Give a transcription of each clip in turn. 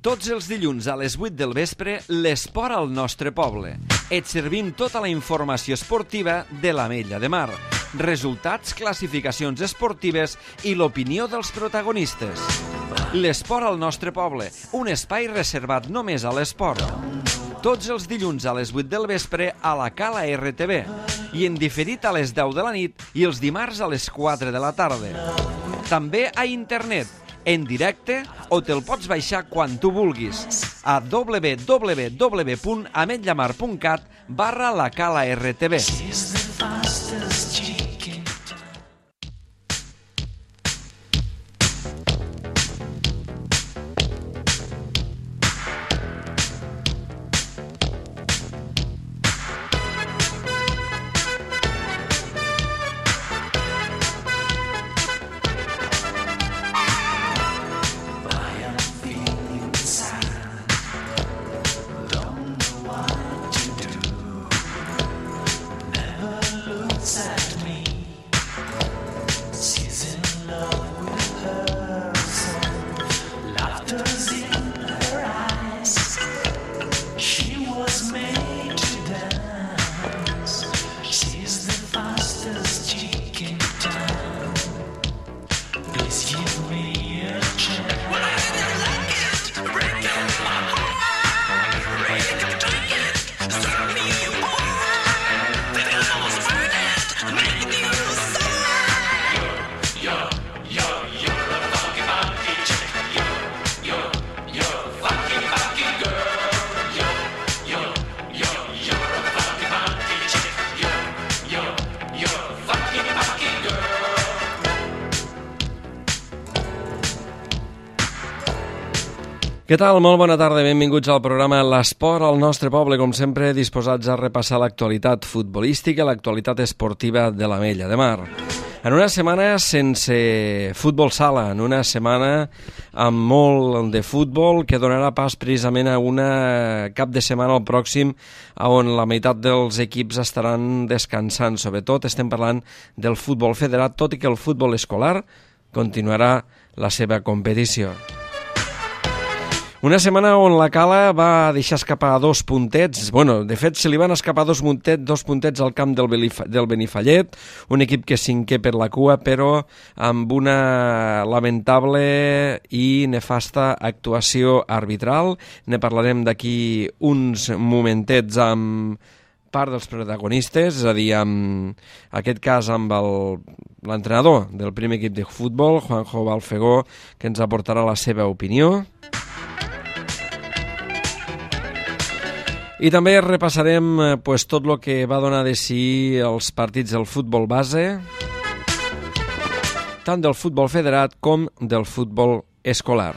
Tots els dilluns a les 8 del vespre, l'esport al nostre poble. Et servim tota la informació esportiva de l'Ametlla de Mar. Resultats, classificacions esportives i l'opinió dels protagonistes. L'esport al nostre poble, un espai reservat només a l'esport. Tots els dilluns a les 8 del vespre a la Cala RTV i en diferit a les 10 de la nit i els dimarts a les 4 de la tarda. També a internet, en directe o te'l pots baixar quan tu vulguis a www.ametllamar.cat/la Cala RTV. Què tal? Molt bona tarda, benvinguts al programa L'Esport al nostre poble, com sempre disposats a repassar l'actualitat futbolística, l'actualitat esportiva de l'Ametlla de Mar. En una setmana sense futbol sala, en una setmana amb molt de futbol que donarà pas precisament a una cap de setmana al pròxim on la meitat dels equips estaran descansant. Sobretot estem parlant del futbol federat, tot i que el futbol escolar continuarà la seva competició. Una setmana on la Cala va deixar escapar dos puntets. De fet, se li van escapar dos puntets al camp del Benifallet, un equip que cinquè per la cua, però amb una lamentable i nefasta actuació arbitral. Ne parlarem d'aquí uns momentets amb part dels protagonistes, és a dir, en aquest cas amb l'entrenador del primer equip de futbol, Juanjo Balfegó, que ens aportarà la seva opinió. I també repassarem tot el que va donar de si els partits del futbol base, tant del futbol federat com del futbol escolar.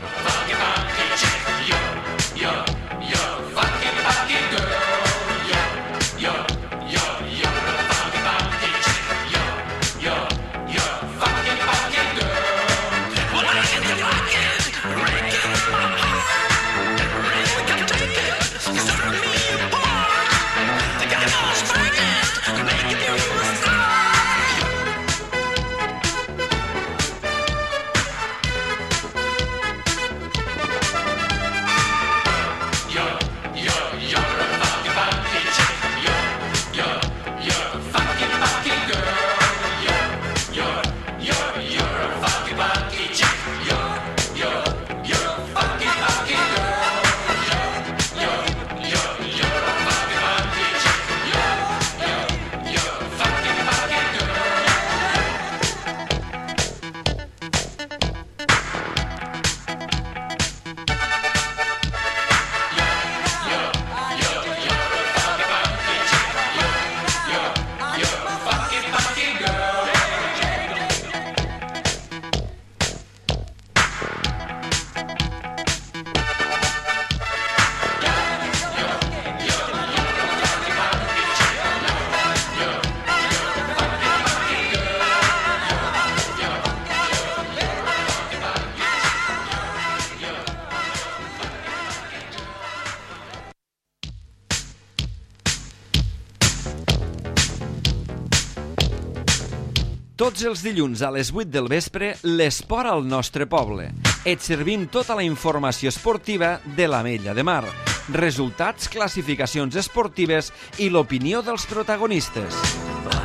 Tots els dilluns a les 8 del vespre, l'esport al nostre poble. Et servim tota la informació esportiva de l'Ametlla de Mar. Resultats, classificacions esportives i l'opinió dels protagonistes.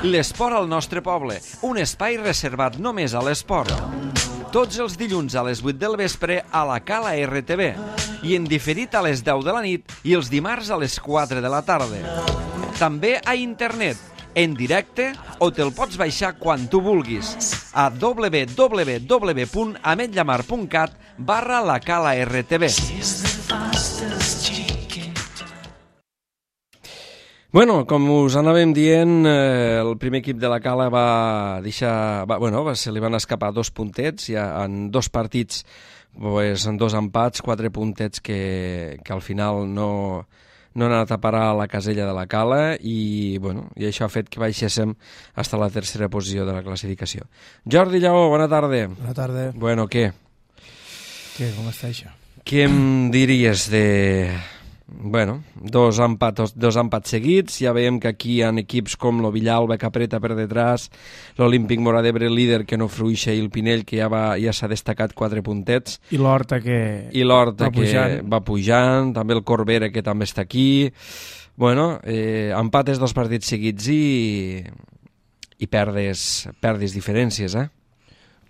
L'esport al nostre poble, un espai reservat només a l'esport. Tots els dilluns a les 8 del vespre a la Cala RTV i en diferit a les 10 de la nit i els dimarts a les 4 de la tarda. També a internet, en directe o te'l pots baixar quan tu vulguis a www.ametllamar.cat/la Cala RTV. Bueno, com us anàvem dient, el primer equip de la Cala se li van escapar 2 puntets, ja en 2 partits, en 2 empats, 4 puntets que al final no han anat a parar a la casella de la Cala i això ha fet que baixéssim fins a la 3a posició de la classificació. Jordi Lleó, bona tarda. Bona tarda. Bueno, què? Com està això? Què em diries de... dos empats seguits. Ja veiem que aquí hi ha equips com lo Villalba que apreta per detrás, l'Olímpic Móra d'Ebre líder que no fruixa i el Pinell que ja s'ha destacat 4 puntets. I l'Horta que va pujant, també el Corbera que també està aquí. Empates 2 partits seguits i perdes diferències, eh?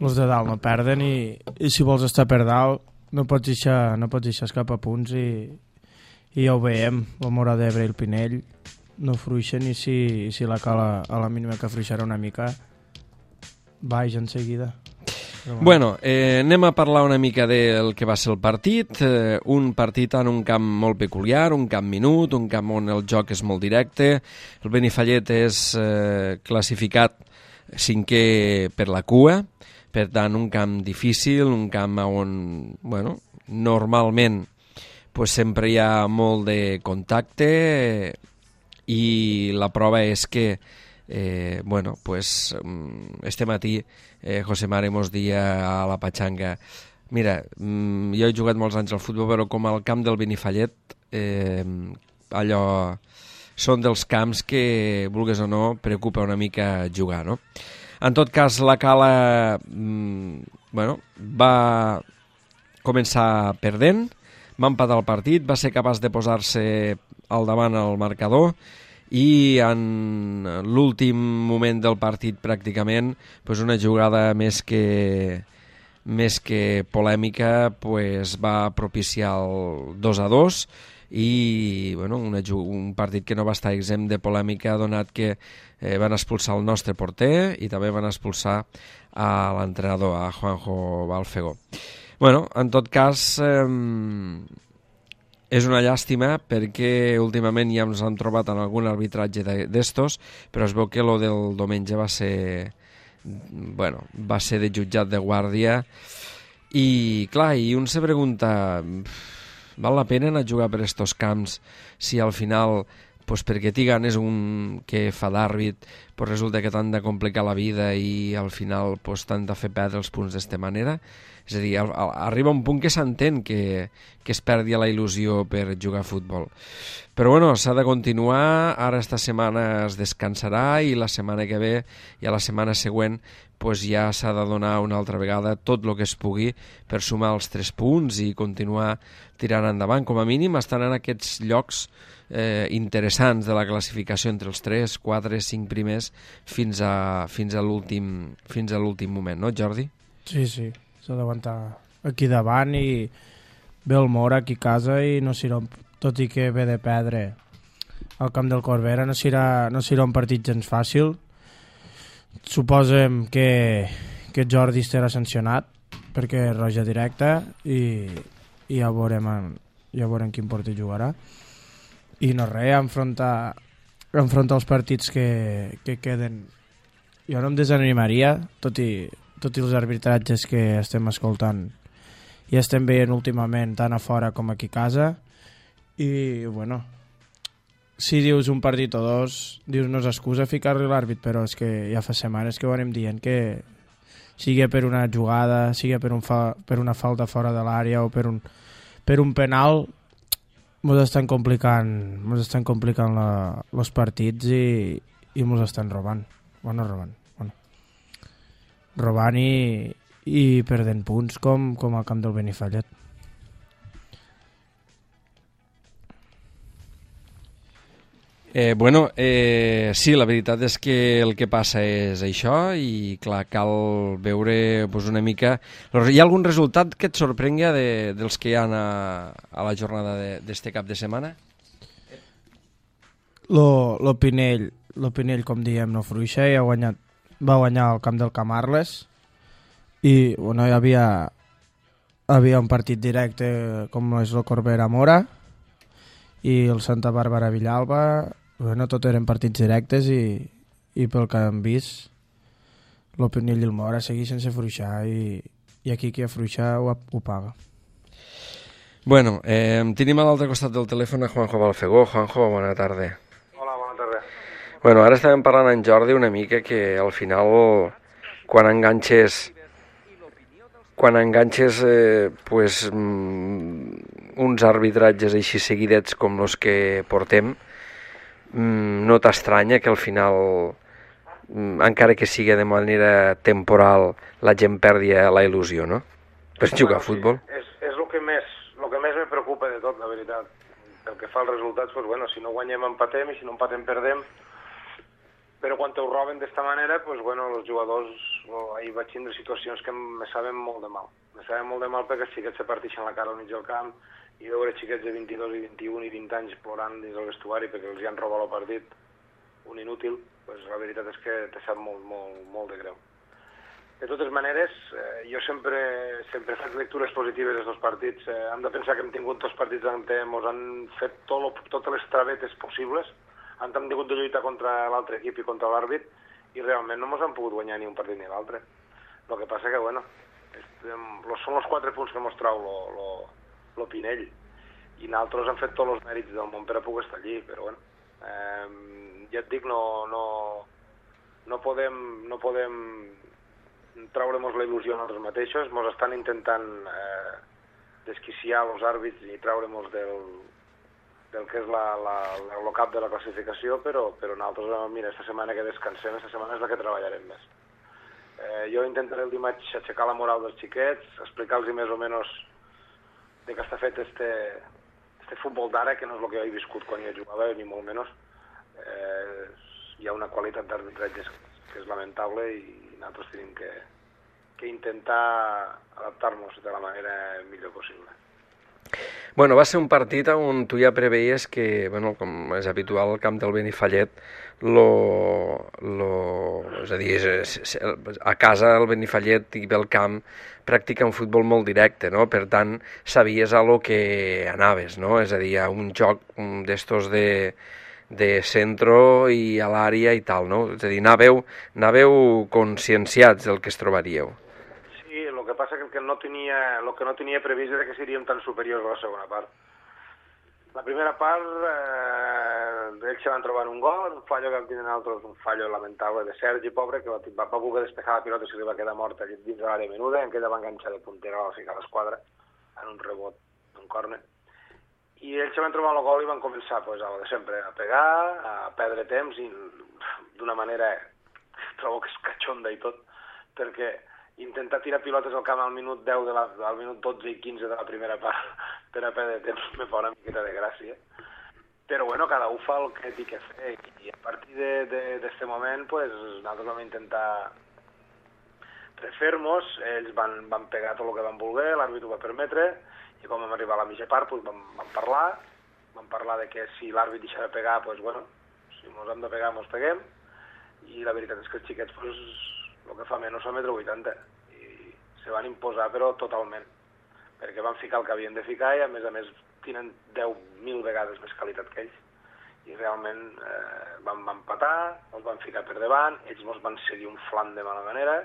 Els de dalt no perden i si vols estar per dalt no pots deixar escapar punts i ja ho veiem, el Móra d'Ebre i el Pinell no fruixen i si la Cala a la mínima que fruixarà una mica baix en seguida. Anem a parlar una mica del que va ser el partit. Un partit en un camp molt peculiar, un camp minut, un camp on el joc és molt directe. El Benifallet és classificat 5è per la cua, per tant un camp difícil, un camp on normalment sempre hi ha molt de contacte i la prova és que este matí José Mare mos dia a la Patxanga: mira, jo he jugat molts anys al futbol, però com al camp del Benifallet allò són dels camps que, vulgues o no, preocupa una mica jugar, no? En tot cas, la Cala va començar perdent, va empatar el partit, va ser capaç de posar-se al davant al marcador i en l'últim moment del partit pràcticament una jugada més que polèmica va propiciar el 2-2 i un partit que no va estar exempt de polèmica donat que van expulsar el nostre porter i també van expulsar a l'entrenador, a Juanjo Balfegó. En tot cas, és una llàstima perquè últimament ja ens han trobat en algun arbitratge d'estos, però es veu que lo del diumenge va ser de jutjat de guàrdia i clar, i un se pregunta, val la pena anar a jugar per estos camps si al final perquè t'hi ganes un que fa d'àrbit resulta que t'han de complicar la vida i al final t'han de fer perdre els punts d'esta manera? És a dir, arriba un punt que s'entén que es perdi la il·lusió per jugar a futbol. Però s'ha de continuar, ara esta setmana es descansarà i la setmana que ve i a la setmana següent ja s'ha de donar una altra vegada tot el que es pugui per sumar els 3 punts i continuar tirant endavant. Com a mínim estan en aquests llocs interessants de la classificació entre els 3, 4, 5 primers fins a l'últim moment, no, Jordi? Sí, s'ha d'aguantar aquí davant i ve el Móra aquí a casa i no serà, tot i que ve de perdre al camp del Corbera, no serà un partit gens fàcil. Suposem que Jordi estarà sancionat perquè és roja directa i ja veurem quin partit jugarà. I no res, enfrontar els partits que queden. Jo no em desanimaria, tot i els arbitratges que estem escoltant i estem veient últimament tant a fora com aquí a casa. I si dius un partit o 2, dius no és excusa ficar-li l'àrbit, però és que ja fa setmanes que ho anem dient, que sigui per una jugada, sigui per una falta fora de l'àrea o per un penal, ens estan complicant els partits i ens estan robant. Robant i i perdent punts com al camp del Benifallet. Sí, la veritat és que el que passa és això i clar, cal veure una mica... Hi ha algun resultat que et sorprengui dels que hi ha a la jornada d'este cap de setmana? Lo Pinell, com diem, no fruixa, i va guanyar el camp del Camarles i hi havia un partit directe com és el Corbera Mora i el Santa Bàrbara Villalba. Tot eren partits directes i pel que hem vist el Pinell i el Mora segueix sense fruixar i aquí qui afluixa ho paga. Tenim a l'altre costat del telèfon a Juanjo Balfegó. Juanjo, bona tarda. Hola, bona tarda. Ara estàvem parlant amb Jordi una mica que al final quan enganxes uns arbitratges així seguidets com els que portem, no t'estranya que al final, encara que sigui de manera temporal, la gent perdi la il·lusió, no? Per jugar a futbol. És el que més me preocupa de tot, la veritat. Pel que fa als resultats, si no guanyem empatem i si no empatem perdem. Però quan te ho roben d'esta manera, els jugadors, ahir vaig tindre situacions que me saben molt de mal. Me saben molt de mal perquè els xiquets se partixen la cara al mig del camp i veure xiquets de 22 i 21 i 20 anys plorant dins el vestuari perquè els hi han robat el partit, un inútil, la veritat és que te sap molt, molt, molt de greu. De totes maneres, jo sempre faig lectures positives dels dos partits. Hem de pensar que hem tingut dos partits on ens han fet totes les travetes possibles, hem tingut de lluitar contra l'altre equip i contra l'àrbit i realment no ens han pogut guanyar ni un partit ni l'altre. El que passa que, són els 4 punts que mos trau lo Pinell i nosaltres hem fet tots els mèrits del món per a poder estar allí, però ja et dic, no podem traure-nos la il·lusió a nosaltres mateixos. Ens estan intentant desquiciar els àrbits i traure-nos del que és el cap de la classificació, però nosaltres, mira, esta setmana que descansem, esta setmana és la que treballarem més. Jo intentaré el dimarts aixecar la moral dels xiquets, explicar-los més o menys de què està fet este futbol d'ara, que no és el que he viscut quan jo jugava, ni molt menys. Hi ha una qualitat d'arbitratges que és lamentable i nosaltres tenim que intentar adaptar-nos de la manera millor possible. Va ser un partit on tu ja preveies que, com és habitual al camp del Benifallet, és a dir, a casa el Benifallet i el camp practica un futbol molt directe, no? Per tant, sabies a lo que anaves, no? És a dir, a un joc d'estos de centro i a l'àrea i tal, no? És a dir, anàveu conscienciats del que es trobaríeu. Sí, el que passa que el que no tenia previst era que seríem tan superiors a la segona part. La primera part, ells se van trobar un gol, un fallo que vam tenir nosaltres, un fallo lamentable de Sergi, pobre, que va poder despejar la pilota i se li va quedar morta dins de l'àrea menuda, en què ella va enganxar de puntera a la ficar a l'esquadra, en un rebot, un córner. I ells se van trobar el gol i van començar, de sempre, a pegar, a perdre temps, i d'una manera, trobo que és catxonda i tot, perquè intentar tirar pilotes al camp al minut 10, al minut 12 i 15 de la primera part per a perdre temps me fa una miqueta de gràcia. Però cada un fa el que té que fer i a partir d'aquest moment nosaltres vam intentar refer-nos, ells van pegar tot el que van voler, l'àrbit ho va permetre i quan vam arribar a la mitja part vam parlar de que si l'àrbit deixa de pegar, si ens hem de pegar, ens peguem i la veritat és que els xiquets el que fa menys fa 1,80 m i se van imposar però totalment, perquè van ficar el que havien de ficar i a més tenen 10.000 vegades més qualitat que ells i realment van empatar, els van ficar per davant, ells ens van seguir un flam de mala manera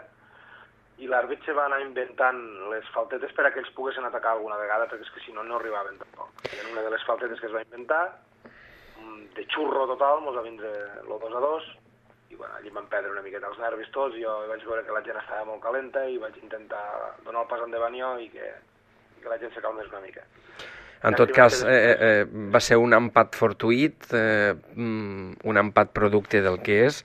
i l'àrbit se va anar inventant les faltetes per a que ells poguessin atacar alguna vegada perquè és que si no, no arribaven tampoc. I en una de les faltetes que es va inventar, de xurro total, ens va vindre el 2-2 i allí van perdre una miqueta els nervis tots, jo vaig veure que la gent estava molt calenta i vaig intentar donar el pas endavant jo i que la gent se calmés una mica. En tot cas, va ser un empat fortuït, un empat producte del que és,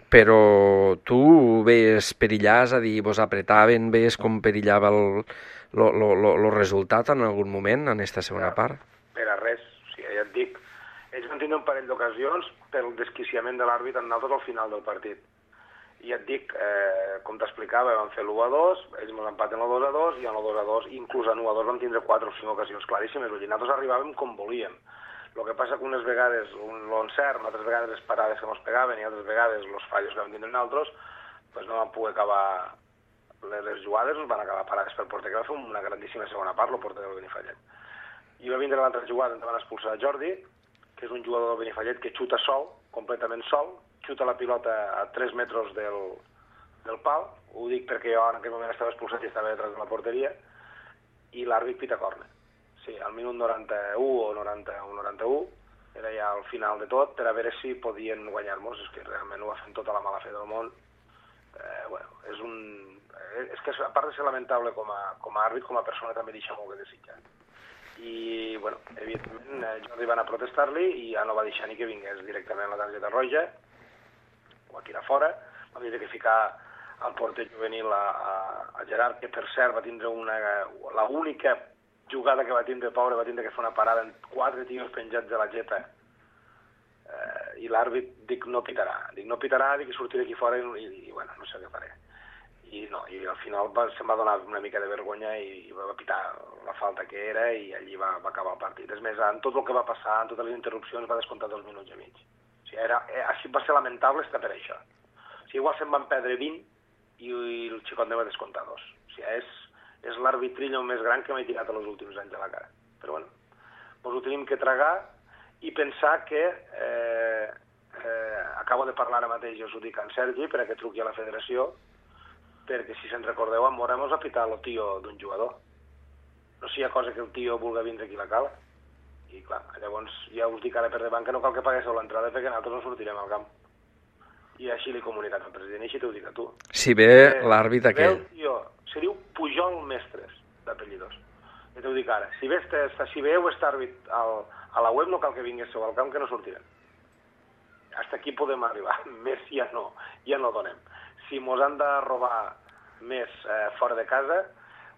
però tu ves perillar, és a dir, vos apretaven, ves com perillava el resultat en algun moment, en aquesta segona part? Per a res, o sigui, ja et dic, ells van tindre un parell d'ocasions pel desquiciament de l'àrbit en nosaltres al final del partit. I ja et dic, com t'explicava, vam fer l'1-2, ells ens empaten el 2-2, i en el 2-2, inclús en 1-2 vam tindre 4 o 5 ocasions claríssimes, vull dir, nosaltres arribàvem com volíem. El que passa que unes vegades l'encert, altres vegades les parades que ens pegaven i altres vegades els fallos que vam tindre nosaltres, doncs no vam poder acabar les jugades, ens van acabar parades pel porter, que va fer una grandíssima segona part, el porter del Benifallet. I va vindre l'altra jugada on van expulsar Jordi, que és un jugador del Benifallet que xuta sol, completament sol, xuta la pilota a 3 metres del pal, ho dic perquè jo en aquell moment estava expulsat i estava detrás de la porteria, i l'àrbit pita córner. Sí, al minut 91 o 91, era ja al final de tot, per a veure si podien guanyar-nos, és que realment ho va fer amb tota la mala fe del món. És que a part de ser lamentable com a àrbit, com a persona també deixa molt que desitjar. I, bueno, evidentment, Jordi va anar a protestar-li i ja no va deixar ni que vingués directament la targeta roja, o a tirar fora, vam dir que ficar al porter juvenil a Gerard, que per cert va tindre l'única jugada que va tindre, pobre, va tindre que fer una parada amb 4 tios penjats de la geta, i l'àrbit dic no pitarà, dic que sortiré aquí fora i bueno, no sé què faré. I al final se'm va donar una mica de vergonya i va pitar la falta que era i allí va acabar el partit. És més, en tot el que va passar, en totes les interrupcions, va descomptar 2 minuts i mig. O sigui, així va ser lamentable estar per això. O sigui, igual se'n van perdre 20 i el xicot ne va descomptar 2. O sigui, és l'arbitrillo més gran que m'he tirat els últims anys a la cara. Però bueno, ens ho tenim que tragar i pensar que acabo de parlar ara mateix, jo us ho dic en Sergi, perquè truqui a la federació, perquè si se'n recordeu, en Mora mos ha pitat el tio d'un jugador. No sé si hi ha cosa que el tio vulgui vindre aquí a la cala. I clar, llavors ja us dic ara per davant que no cal que paguéssiu l'entrada perquè nosaltres no sortirem al camp. I així l'he comunicat al president, i així t'ho dic a tu. Si ve l'àrbit aquell. Se diu Pujol Mestres, d'apellidos. Ja t'ho dic ara. Si veieu aquest àrbit a la web, no cal que vinguéssiu al camp, que no sortirem. Hasta aquí podem arribar. Més ja no donem. Si mos han de robar més fora de casa,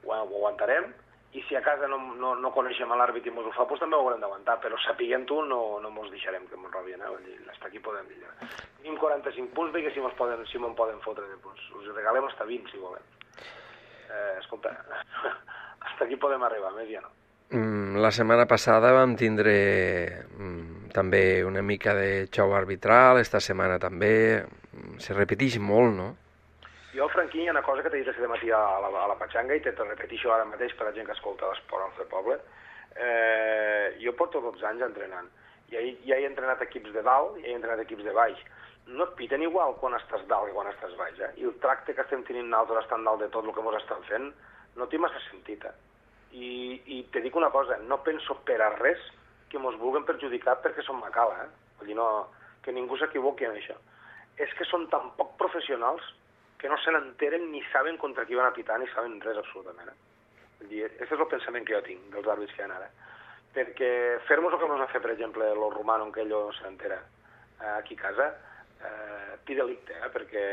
ho aguantarem, i si a casa no coneixem l'àrbit i mos ho fa, doncs també ho haurem d'aguantar, però sapiguent-ho no mos deixarem que mos robin, hasta aquí podem dir. Tenim 45 punts, perquè si me'n poden fotre de punts. Us regalem hasta 20, si volem. Escolta, hasta aquí podem arribar, més ja no. La setmana passada vam tindre també una mica de xou arbitral, esta setmana també. Se repeteix molt, no? Jo, Franquí, hi ha una cosa que t'he dit aquest matí a la Patxanga i te repeteixo ara mateix per a la gent que escolta l'esport al poble. Jo porto 12 anys entrenant. Ja he entrenat equips de dalt i he entrenat equips de baix. No et piten igual quan estàs dalt que quan estàs baix, I el tracte que estem tenint nosaltres estant dalt de tot el que ens estan fent no té massa sentit, I te dic una cosa, no penso per a res que ens vulguin perjudicar perquè som macala, Vull dir, que ningú s'equivoqui en això. És que són tan poc professionals que no se n'enteren ni saben contra qui van a pitar ni saben res absolutament. Vull dir, aquest és el pensament que jo tinc dels àrbits que hi ha ara. Perquè fer-nos el que ens va fer, per exemple, el romano, en què ell no se n'entera aquí a casa, pi delicte, perquè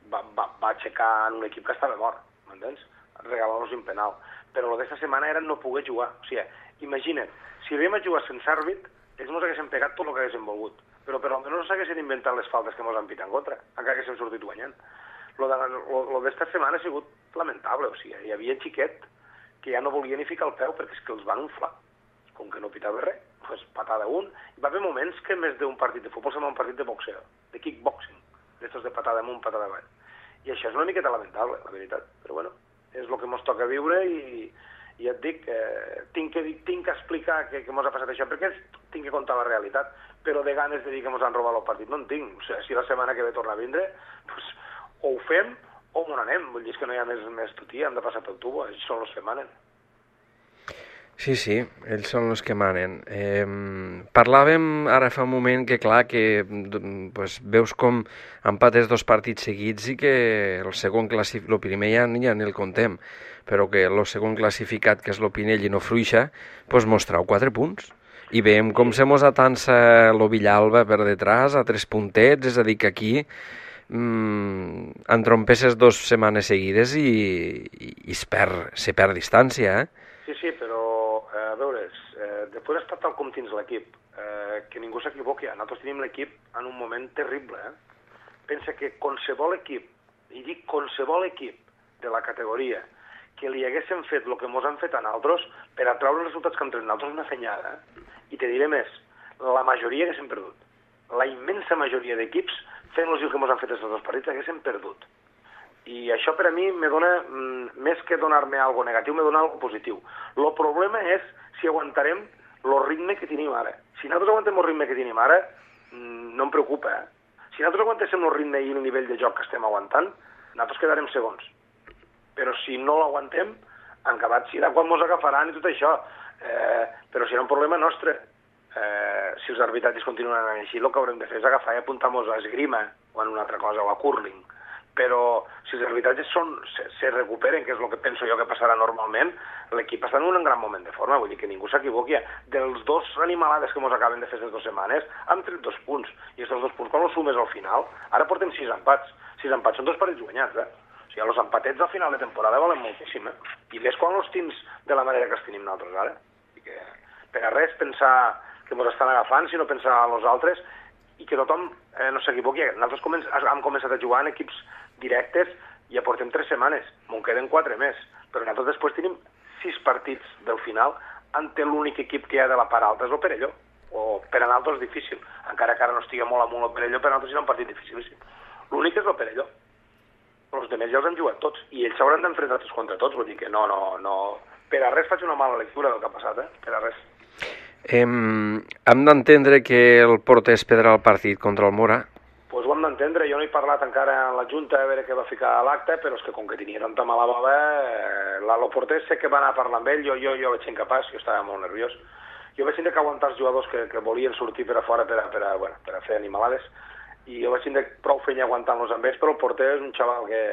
va aixecar en un equip que estava mort, m'entens? Regalar-nos un penal. Però el d'esta setmana era no poder jugar. O sigui, imagina't, si havíem a jugar sense àrbit, ells ens haguessin pegat tot el que haguessin volgut. Però almenys no s'haguessin inventat les faltes que ens han pitat en contra, encara que haguéssim sortit guanyant. Lo d'esta setmana ha sigut lamentable, o sigui, hi havia xiquet que ja no volia ni ficar el peu perquè és que els van inflar. Com que no pitava res, doncs patada un. Hi va haver moments que més d'un partit de futbol sembla un partit de boxeo, de kickboxing, d'estos de patada amunt, patada avall. I això és una miqueta lamentable, la veritat. Però bueno, és el que ens toca viure i ja et dic, tinc que explicar que ens ha passat això, perquè tinc que contar la realitat, però de ganes de dir que ens han robat el partit no en tinc. O sigui, si la setmana que ve torna a vindre, doncs o ho fem o on anem. Vull dir, és que no hi ha més tutia, hem de passar pel tubo, ells són els que manen. Sí, ells són els que manen. Parlàvem ara fa un moment que, clar, que pues, veus com empates 2 partits seguits i que el primer ja ni el contem, però que el segon classificat, que és l'Opinell i no Fruixa, pues, mos trau 4 punts. I veiem com se mos atansa lo Villalba per detrás a 3 puntets, és a dir, que aquí entrompesses 2 setmanes seguides i se perd distància, Sí, però, a veure, després està tal com tens l'equip, que ningú s'equivoqui. Nosaltres tenim l'equip en un moment terrible. Pensa que qualsevol equip, i dic qualsevol equip de la categoria, que li haguéssim fet el que ens han fet a nosaltres, per a treure els resultats que hem tret nosaltres una fenyada. I te diré més, la majoria haguéssim perdut. La immensa majoria d'equips, fent-los el que ens han fet aquests 2 partits, haguéssim perdut. I això per a mi me dona, més que donar-me algo negatiu, me dona algo positiu. El problema és si aguantarem el ritme que tenim ara. Si nosaltres aguantem el ritme que tenim ara, no em preocupa. Si nosaltres aguantéssim el ritme i el nivell de joc que estem aguantant, nosaltres quedarem segons. Però si no l'aguantem, en acabat serà quan ens agafaran i tot això. Però serà un problema nostre. Si els arbitratges continuen anant així, el que haurem de fer és agafar i apuntar-nos a esgrima o en una altra cosa, o a curling. Però si els arbitratges se recuperen, que és el que penso jo que passarà normalment, l'equip està en un gran moment de forma, vull dir que ningú s'equivoqui. Dels 2 animalades que ens acaben de fer aquestes 2 setmanes, hem tret 2 punts, i aquests 2 punts, quan els sumes al final, ara portem 6 empats. 6 empats són 2 partits guanyats, O sigui, els empatets al final de temporada valen moltíssim, I més quan els tens de la manera que els tenim nosaltres ara. Que per a res pensar que ens estan agafant, sinó pensar a los altres, i que tothom no s'equivoqui. Nosaltres hem començat a jugar en equips directes i ja portem 3 setmanes, me'n queden 4 més, però nosaltres després tenim 6 partits del final ante l'únic equip que hi ha de la part alta és el Perelló, o per a nosaltres és difícil, encara que ara no estigui molt amunt el Perelló, per a nosaltres serà un partit dificilíssim. L'únic és el Perelló, però els altres ja els han jugat tots, i ells s'hauran d'enfrontar tots contra tots, vull dir que no, per a res faig una mala lectura del que ha passat, per a res. Hem d'entendre que el porter es perdrà el partit contra el Mora? Doncs ho hem d'entendre, jo no he parlat encara en la Junta a veure què va ficar a l'acte, però és que com que tenia tanta mala bava, el porter sé que va anar a parlar amb ell, jo vaig ser incapaç, jo estava molt nerviós. Jo vaig tindre que aguantar els jugadors que volien sortir per a fora per a fer animalades, i jo vaig tindre prou feina aguantant-los amb ells, però el porter és un xaval que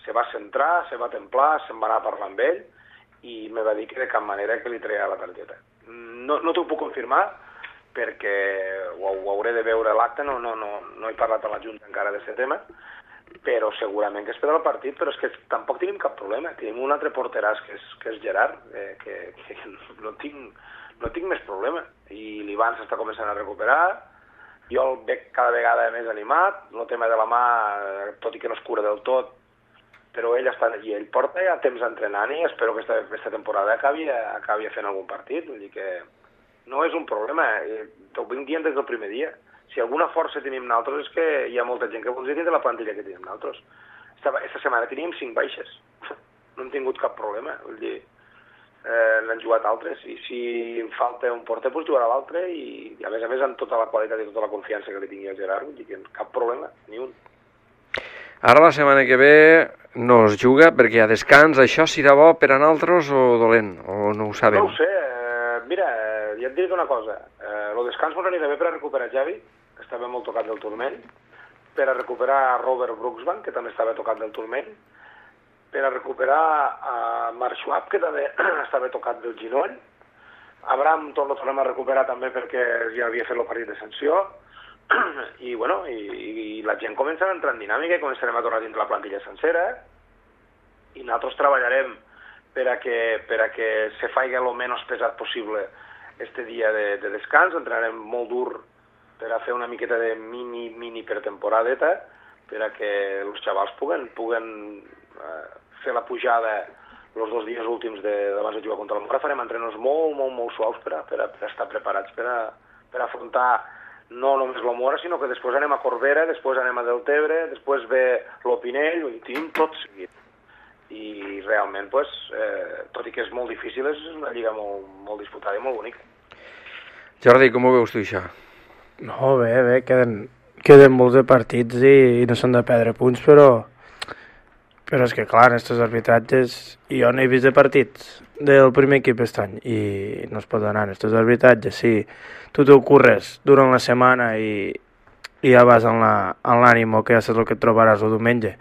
se va centrar, se va templar, se'n va anar a parlar amb ell, i me va dir que de cap manera que li treia la targeta. No t'ho puc confirmar, perquè ho hauré de veure a l'acte, no he parlat a la Junta encara d'aquest tema, però segurament que es perdrà el partit, però és que tampoc tenim cap problema. Tenim un altre porteràs, que és Gerard, que no tinc més problema. I l'Ivan s'està començant a recuperar, jo el veig cada vegada més animat, el tema de la mà, tot i que no es cura del tot, però ell està allí, ell porta ja temps entrenant i espero que aquesta temporada acabi fent algun partit, vull dir que no és un problema, t'ho vinc dient des del primer dia. Si alguna força tenim nosaltres és que hi ha molta gent que voldria tenir la plantilla que tenim nosaltres. Aquesta setmana teníem 5 baixes, no hem tingut cap problema, vull dir, n'han jugat altres, i si em falta un porter, doncs jugarà l'altre, i a més amb tota la qualitat i tota la confiança que li tingui al Gerard, vull dir que cap problema, ni un. Ara la setmana que ve no es juga perquè hi ha descans, això serà bo per a nosaltres o dolent, o no ho sabem? No ho sé, mira, ja et diré una cosa, el descans ens anirà bé per a recuperar Javi, que estava molt tocat del turmell, per a recuperar Robert Brooksbank, que també estava tocat del turmell, per a recuperar Mark Schwab, que també estava tocat del ginoll, Abraham tot el tornem a recuperar també perquè ja havia fet el partit de sanció, i la gent comença a entrar en dinàmica i començarem a tornar dins la plantilla sencera, i nosaltres treballarem per a que se faci el menys pesat possible este dia de descans. Entrenarem molt dur per a fer una miqueta de mini pretemporadeta, per a que els xavals puguen fer la pujada els 2 dies últims d'abans de jugar contra el Mora. Farem entrenos molt suaus per a estar preparats per a afrontar no només la Mora, sinó que després anem a Corbera, després anem a Deltebre, després ve l'Opinell, ho tenim tot seguit. I realment, tot i que és molt difícil, és una lliga molt disputada i molt bonica. Jordi, com ho veus tu, això? No, bé, queden molts de partits i no s'han de perdre punts, però és que clar, en aquests arbitratges, jo no he vist de partits del primer equip aquest any i no es pot anar en aquests arbitratges. Si tu t'ho curres durant la setmana i ja vas en l'ànimo que ja saps el que et trobaràs el diumenge,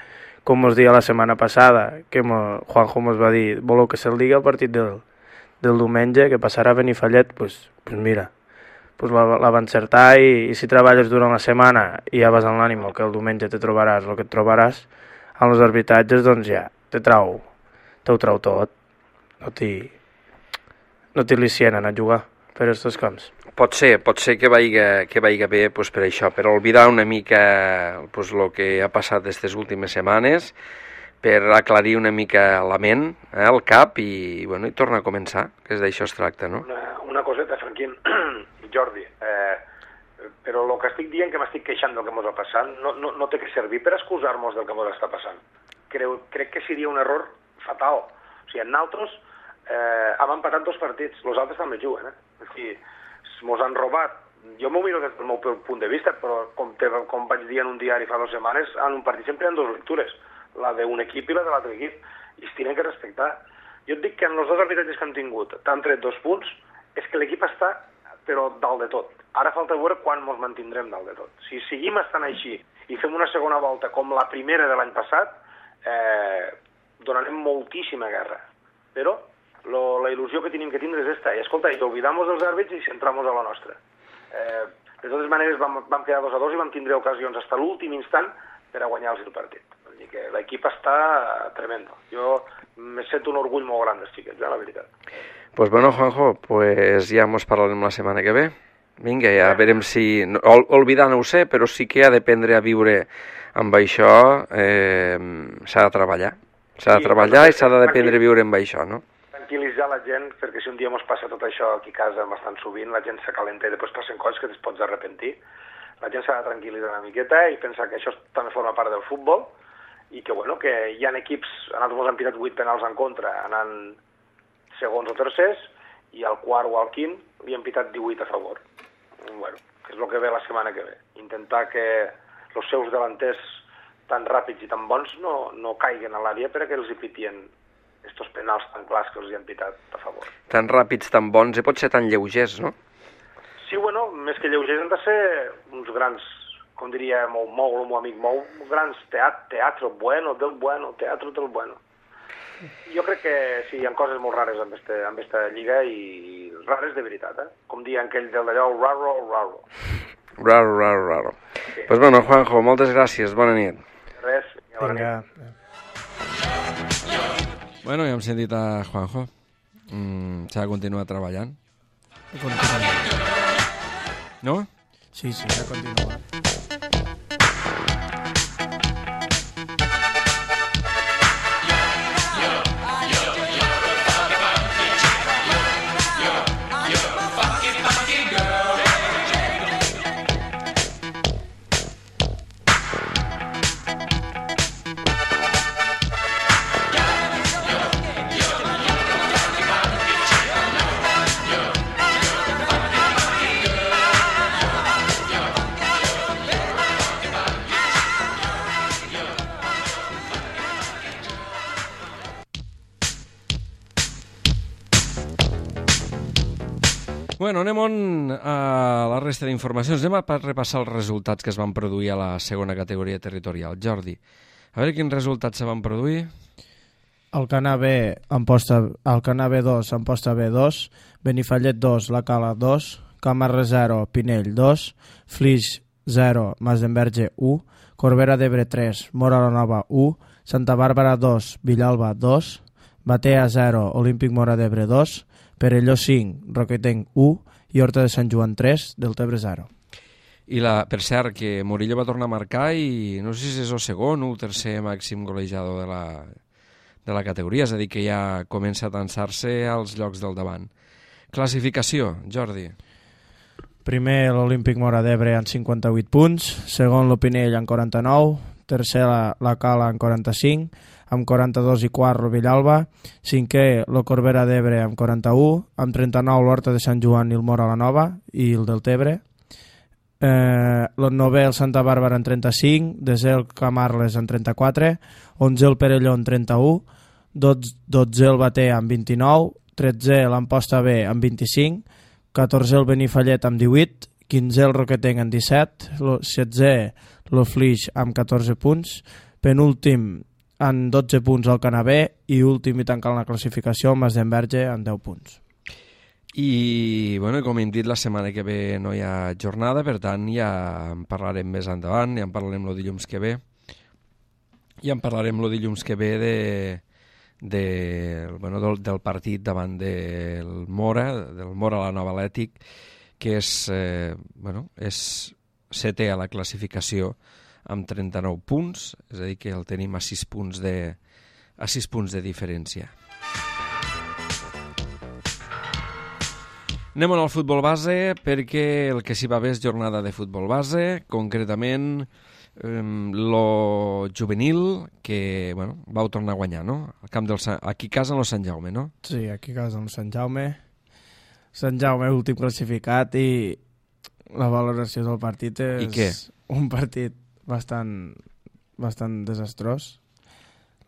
com us deia la setmana passada, que Juanjo ens va dir, voleu que se'l digui el partit del diumenge, que passarà a Benifallet, doncs mira, pues la va encertar i si treballes durant la setmana i ja vas amb l'ànimo que el diumenge te trobaràs el que et trobaràs, amb els arbitratges doncs ja t'ho trau tot, no t'hi licien a jugar per aquests camps. Pot ser que vaiga bé pues, per això, per oblidar una mica pues, el que ha passat aquestes últimes setmanes, per aclarir una mica la ment, el cap i tornar a començar, que és d'això es tracta, no? Una coseta, Franquín, Jordi, però el que estic dient que m'estic queixant del que ens ha passat no té que servir per excusar-nos del que ens està passant. Crec que seria un error fatal. O sigui, nosaltres hem empatat 2 partits, els altres també juguen, O sigui, ens han robat. Jo m'ho miro des del meu punt de vista, però com vaig dir en un diari fa 2 setmanes, en un partit sempre hi ha 2 lectures, la d'un equip i la de l'altre equip, i es tenen que respectar. Jo et dic que en els 2 arbitratges que hem tingut t'han tret 2 punts, és que l'equip està, però dalt de tot. Ara falta veure quan ens mantindrem dalt de tot. Si seguim estant així i fem una segona volta com la primera de l'any passat, donarem moltíssima guerra. Però la il·lusió que tenim que tindre és esta. I escolta, i oblidamos dels àrbits i centramos a la nostra. De totes maneres vam quedar 2-2 i vam tindre ocasions fins a l'últim instant per a guanyar el partit. Vull dir que l'equip està tremendo. Jo me sento un orgull molt gran dels xiquets, la veritat. Pues bueno, Juanjo, pues ja mos parlarem la setmana que ve. Vinga, ja veurem si... Olvidar no ho sé, però sí que ha d'aprendre a viure amb això, s'ha de treballar. S'ha de treballar i s'ha d'aprendre a viure amb això, no? Tranquil·litzar la gent, perquè si un dia ens passa tot això aquí a casa bastant sovint, la gent s'acalenta i després passen coses que es pots arrepentir. La gent s'ha de tranquil·litzar una miqueta i pensar que això també forma part del futbol i que, que hi ha equips, nosaltres hem pitat 8 penals en contra, anant segons o tercers, i al quart o al quint li hem pitat 18 a favor. Que és el que ve la setmana que ve. Intentar que els seus delanters tan ràpids i tan bons no caiguen a l'àrea perquè els hi pitien estos penals tan clars que els hi han pitat a favor. Tan ràpids, tan bons, i pot ser tan lleugers, no? Sí, més que lleugers han de ser uns grans, com diria el meu amic Mou, grans teatro bueno, teatro del bueno. Jo crec que sí, hi ha coses molt rares amb esta lliga i rares de veritat, Com diuen aquell d'allò, raro. Raro. Sí. Pues bueno, Juanjo, moltes gràcies, bona nit. Res, bona nit. Bueno, ja hem sentit a Juanjo. S'ha de continuar treballant. No? Sí, s'ha de continuar. Bueno, anem a la resta d'informacions. Anem a repassar els resultats que es van produir a la segona categoria territorial. Jordi, a veure quins resultats se van produir. Alcanar B, Alcanar B2, Amposta B2, Benifallet 2, La Cala 2, Camarre 0, Pinell 2, Flix 0, Masdenverge 1, Corbera d'Ebre 3, Mora la Nova 1, Santa Bàrbara 2, Villalba 2, Batea 0, Olímpic Mora d'Ebre 2, Perelló 5, Roquetenc 1 i Horta de Sant Joan 3, Deltebre 0. I per cert, que Murillo va tornar a marcar i no sé si és el segon o el tercer màxim golejador de la categoria, és a dir, que ja comença a tensar-se als llocs del davant. Classificació, Jordi. Primer l'Olímpic Mora d'Ebre amb 58 punts, segon l'Opinell amb 49, tercer la Cala amb 45, amb 42 i quart el Villalba, cinquè el Corbera d'Ebre amb 41, amb 39 l'Horta de Sant Joan i el Mora la Nova i el Deltebre, el novè el Santa Bàrbara amb 35, desè el Camarles amb 34, 11 el Perelló amb 31, 12 el Batea amb 29, 13 l'Amposta B amb 25, 14 el Benifallet amb 18, 15 el Roquetenc amb 17, 16 el Flix amb 14 punts, penúltim amb 12 punts al Canabé i últim i tancant la classificació el Masdenverge amb 10 punts. I, bueno, com hem dit, la setmana que ve no hi ha jornada, per tant ja en parlarem més endavant, ja en parlarem el dilluns que ve. I en parlarem el dilluns que ve del partit davant del Mora la Nova Atlètic, que és, és setè a la classificació amb 39 punts, és a dir, que el tenim a 6 punts de diferència. Anem al futbol base, perquè el que s'hi va bé és jornada de futbol base, concretament lo juvenil, que vau tornar a guanyar, no? Aquí a casa en el Sant Jaume, no? Sí, aquí a casa en el Sant Jaume. Sant Jaume, últim classificat, i la valoració del partit és un partit bastant desastrós.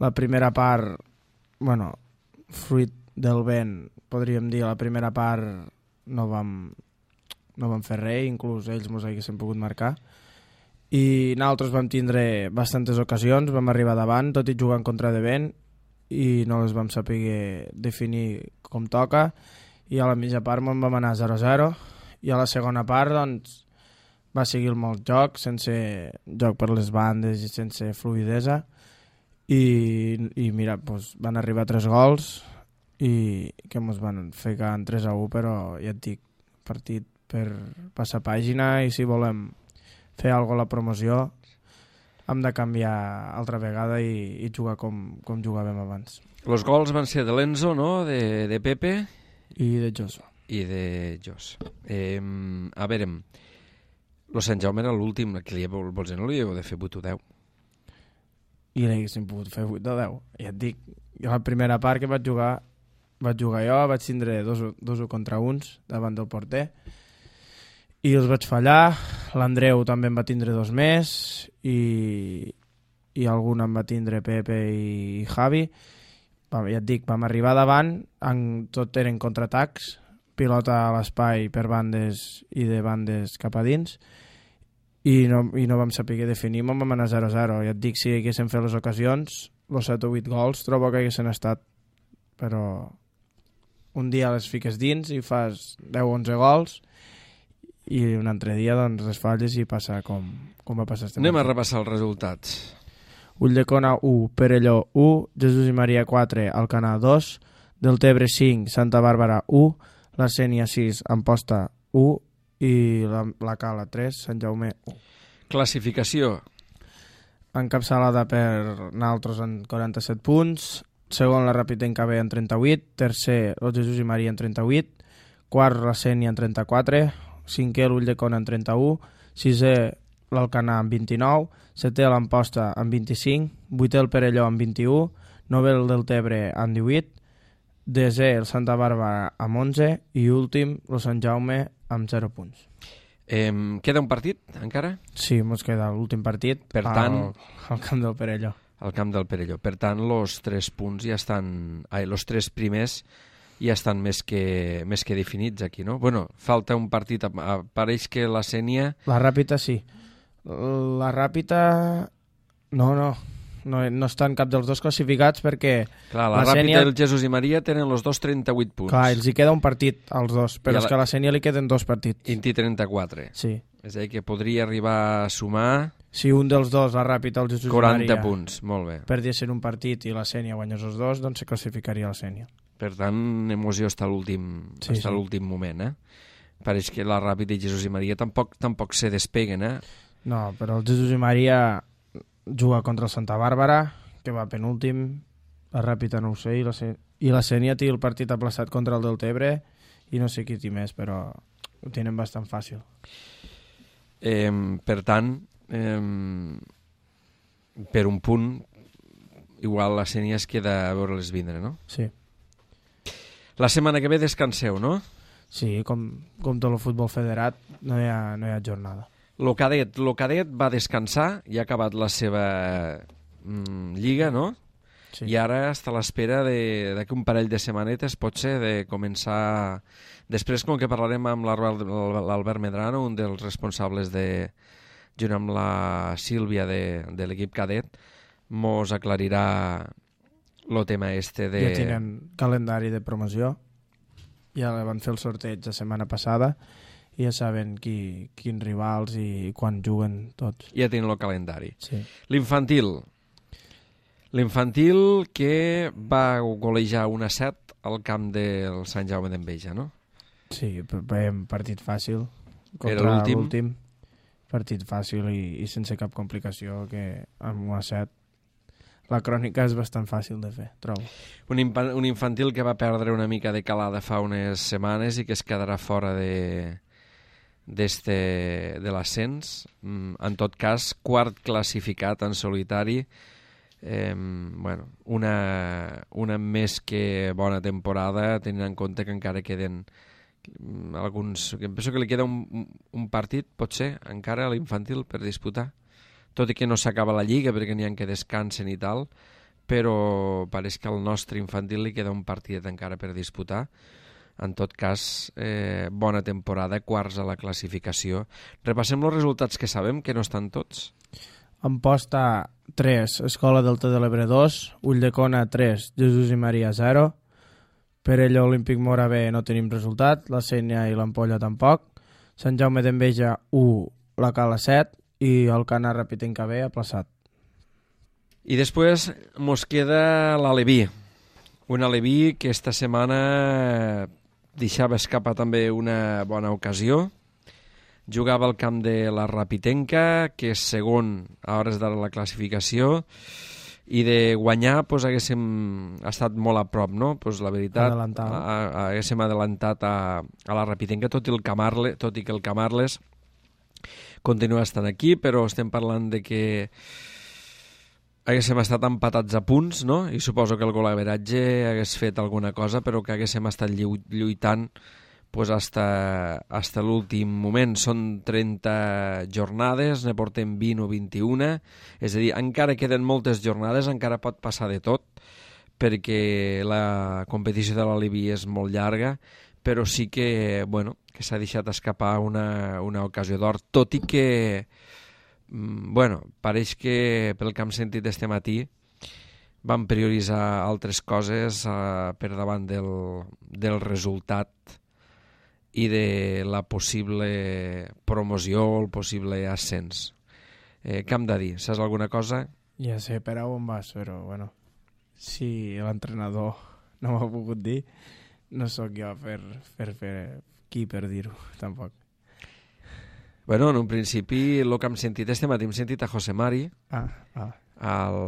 La primera part, fruit del vent, podríem dir, la primera part no vam fer res, inclús ells mos haguessin pogut marcar, i nosaltres vam tindre bastantes ocasions, vam arribar davant, tot i jugar en contra de vent, i no les vam saber definir com toca, i a la mitja part vam anar 0-0, i a la segona part doncs, va seguir molt joc, sense joc per les bandes i sense fluidesa, i mira, van arribar 3 gols, i que ens van fer en 3-1, però ja et dic, partit per passar pàgina, i si volem fer alguna cosa a la promoció hem de canviar altra vegada i jugar com jugàvem abans. Els gols van ser de l'Enzo, no? De Pepe i de Joso. A veure, el Sant Jaume era l'últim, que no li heu de fer 8 o 10. I l'haguéssim pogut fer 8 o 10. Ja et dic, la primera part que vaig jugar jo, vaig tindre 2 contra 1 davant del porter, i els vaig fallar. L'Andreu també en va tindre 2 més, i algun en va tindre Pepe i Javi. Ja et dic, vam arribar davant, tot eren contraatacs, pilota a l'espai per bandes i de bandes cap a dins, i no vam saber definir, vam anar 0-0. Ja et dic, si haguéssim fet les ocasions, els 7 o 8 gols trobo que haguessin estat, però un dia les fiques dins i fas 10 o 11 gols, i un altre dia doncs les falles i passa com va passar este Anem a repassar els resultats. Ulldecona 1, Perelló 1, Jesús i Maria 4, Alcanar 2, Deltebre 5, Santa Bàrbara 1, la Sénia 6, Amposta 1 i la Cala 3, Sant Jaume 1. Classificació. Encapçalada per nosaltres en 47 punts, segon la Ràpita B en 38, tercer el Jesús i Maria en 38, quart la Sénia en 34, cinquè l'Ulldecona en 31, sisè l'Alcanar en 29, setè l'Amposta en 25, vuitè el Perelló en 21, novè el Deltebre en 18, desè el Santa Bàrbara amb 11 i últim el Sant Jaume amb 0 punts. Queda un partit encara? Sí, ens queda l'últim partit, per tant, al camp del Perelló. Al camp del Perelló. Per tant, els 3 punts ja estan... els 3 primers ja estan més que definits aquí, no? Bueno, falta un partit. Pareix que la Sénia... La Ràpita sí. La Ràpita... No estan cap dels dos classificats perquè... Clar, la Ràpita i el Jesús i Maria tenen els dos 38 punts. Clar, els hi queda un partit als dos, però és que a la Sénia li queden 2 partits. I 34. Sí. És a dir, que podria arribar a sumar... Si un dels dos, la Ràpita o el Jesús i Maria... 40 punts, molt bé. Perdiessin un partit i la Sénia guanyés els dos, doncs se classificaria la Sénia. Per tant, emoció està a l'últim moment, Pareix que la Ràpita i Jesús i Maria tampoc se despeguen, No, però el Jesús i Maria juga contra el Santa Bàrbara, que va penúltim, la Ràpita no ho sé, i la Sénia té el partit aplaçat contra el Deltebre, i no sé qui té més, però ho tenen bastant fàcil. Per tant, per un punt, igual la Sénia es queda a veure-les vindre, no? Sí. La setmana que ve descanseu, no? Sí, com tot el futbol federat, no hi ha jornada. Lo cadet va descansar i ha acabat la seva lliga, no? Sí. I ara està a l'espera d'aquí un parell de setmanetes, potser, de començar... Després, com que parlarem amb l'Albert Medrano, un dels responsables junt amb la Sílvia de l'equip cadet, mos aclarirà el tema de... Ja tenen calendari de promoció ja van fer el sorteig la setmana passada i ja saben quins rivals i quan juguen tots. Ja tenen el calendari. Sí. L'infantil que va golejar 1-7 al camp del Sant Jaume d'Enveja, no? Sí, veiem partit fàcil Era contra l'últim. l'últim. Partit fàcil i sense cap complicació, que amb 1-7 la crònica és bastant fàcil de fer, trobo. Un infantil que va perdre una mica de calada fa unes setmanes i que es quedarà fora de l'ascens. En tot cas, quart classificat en solitari. Bueno, una més que bona temporada, tenint en compte que encara queden alguns... Penso que li queda un partit, potser, encara a l'infantil per disputar. Tot i que no s'acaba la lliga perquè n'hi ha que descansen i tal, però pareix que al nostre infantil li queda un partit encara per disputar. En tot cas, bona temporada, quarts a la classificació. Repassem els resultats que sabem, que no estan tots. Amposta 3, Escola Delta de l'Ebre 2, Ulldecona 3, Jesús i Maria 0, Perelló Olímpic Mora B no tenim resultat, la Sénia i l'Ampolla tampoc, Sant Jaume d'Enveja 1, la Cala 7 i el Cana Rapitenca B aplaçat. I després mos queda l'Aleví. Un Aleví que esta setmana deixava escapar també una bona ocasió. Jugava al camp de la Rapitenca, que és segon a hores de la classificació, i de guanyar pues, haguéssim estat molt a prop, no? Pues, la veritat, haguéssim adelantat a la Rapitenca, tot i que el Camarles continua estant aquí, però estem parlant de que haguéssim estat empatats a punts, no? I suposo que el golaveratge hagués fet alguna cosa, però que haguéssim estat lluitant pues hasta l'últim moment. Són 30 jornades, ne portem 20 o 21, és a dir, encara queden moltes jornades, encara pot passar de tot, perquè la competició de l'Aleví és molt llarga, però sí que, bueno, que s'ha deixat escapar una ocasió d'or, tot i que, bueno, pareix que pel que hem sentit este matí van prioritzar altres coses per davant del resultat i de la possible promoció o el possible ascens. Què hem de dir? Saps alguna cosa? Ja sé per on vas, però bueno, si l'entrenador no m'ha pogut dir, no sóc jo per qui per dir-ho, tampoc. Bueno, en un principi, el que hem sentit este matí, hem sentit a José Mari, el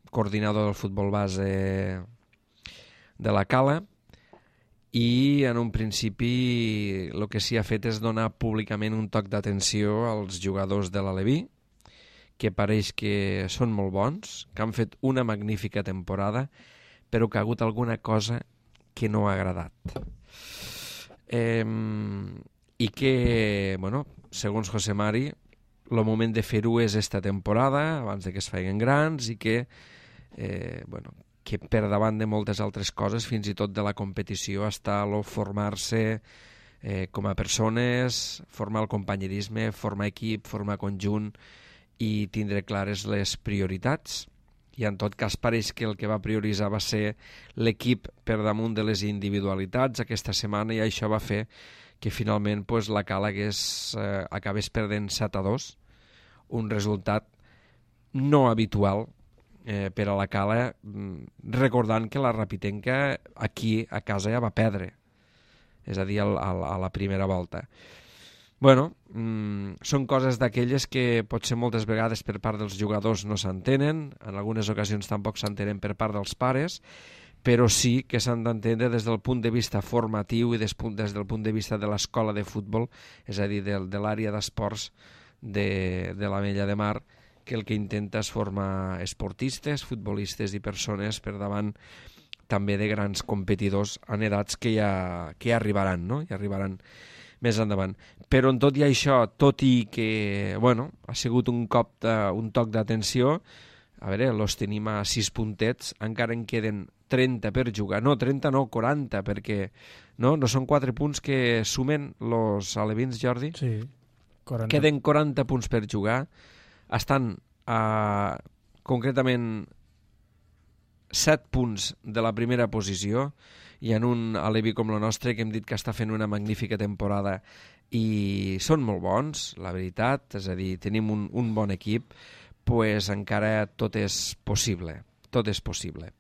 coordinador del futbol base de la Cala, i en un principi el que s'hi ha fet és donar públicament un toc d'atenció als jugadors de l'Aleví, que pareix que són molt bons, que han fet una magnífica temporada, però que ha hagut alguna cosa que no ha agradat. I que, bueno, segons José Mari, el moment de fer-ho és esta temporada, abans de que es feien grans, i que, bueno, que per davant de moltes altres coses, fins i tot de la competició, està el formar-se com a persones, formar el companyerisme, formar equip, formar conjunt i tindre clares les prioritats. I en tot cas pareix que el que va prioritzar va ser l'equip per damunt de les individualitats aquesta setmana, i això va fer que finalment pues, la Cala acabés perdent 7-2, un resultat no habitual per a la Cala, recordant que la Rapitenca aquí a casa ja va perdre, és a dir, a la primera volta. Bueno, són coses d'aquelles que potser moltes vegades per part dels jugadors no s'entenen, en algunes ocasions tampoc s'entenen per part dels pares, però sí que s'han d'entendre des del punt de vista formatiu i des del punt de vista de l'escola de futbol, és a dir, de l'àrea d'esports de l'Ametlla de Mar, que el que intenta és formar esportistes, futbolistes i persones per davant també de grans competidors en edats que ja arribaran, no? Ja arribaran més endavant. Però en tot i això, tot i que, bueno, ha sigut un toc d'atenció, a veure, los tenim a 6 puntets, encara en queden 30 per jugar. No, 30 no, 40, perquè no són 4 punts que sumen los alevins, Jordi? Sí, 40. Queden 40 punts per jugar. Estan concretament 7 punts de la primera posició, i en un alevi com el nostre, que hem dit que està fent una magnífica temporada, i són molt bons, la veritat, és a dir, tenim un bon equip, pues encara tot és possible, tot és possible.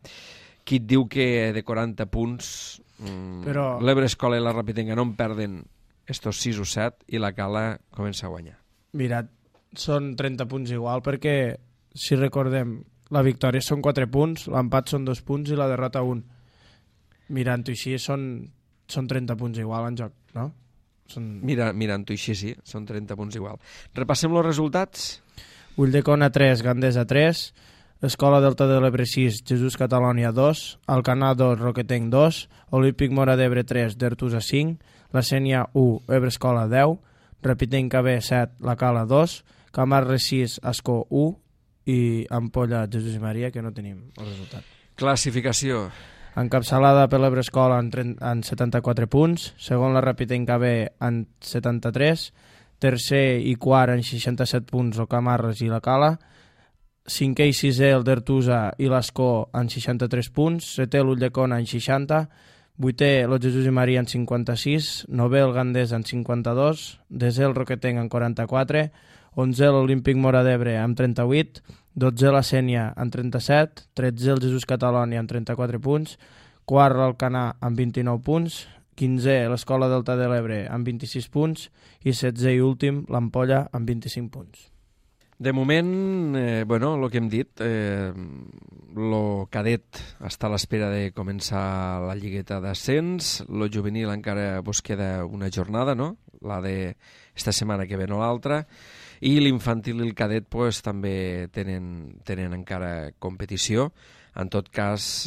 Qui et diu que de 40 punts però l'Ebre Escola i la Rapidenca no en perden estos 6 o 7 i la Cala comença a guanyar? Mira, són 30 punts igual, perquè si recordem, la victòria són 4 punts, l'empat són 2 punts i la derrota 1. Mirant-ho així són 30 punts igual en joc, no? Mirant-ho així, sí, són 30 punts igual. Repassem els resultats. Ulldecona 3, Gandesa 3, Escola Delta de l'Ebre 6, Jesús Catalònia 2, Alcanar 2, Roquetenc 2, Olímpic Mora d'Ebre 3, Dertusa 5, La Sénia 1, Ebre Escola 10, Rapitenc AB 7, La Cala 2, Camarles 6, Ascó 1 i Ampolla, Jesús i Maria, que no tenim el resultat. Classificació. Encapçalada per l'Ebre Escola en 74 punts, segon la Rapitenc AB en 73, tercer i quart en 67 punts el Camarles i la Cala, cinquè i sisè el Dertusa i l'Ascó en 63 punts, setè l'Ulldecona en 60, vuitè el Jesús i Maria en 56, novè el Gandesa en 52, desè el Roquetenc en 44, onzè l'Olímpic Mora d'Ebre amb 38, 12è la Sénia en 37, 13è el Jesús Catalònia en 34 punts, quart l'Alcanar amb 29 punts, 15è l'Escola Delta de l'Ebre amb 26 punts i 16è i últim l'Ampolla amb 25 punts. De moment, el que hem dit, el cadet està a l'espera de començar la lligueta d'ascens, el juvenil encara vos queda una jornada, no? La d'esta setmana que ve no l'altra, i l'infantil i el cadet pues, també tenen encara competició. En tot cas,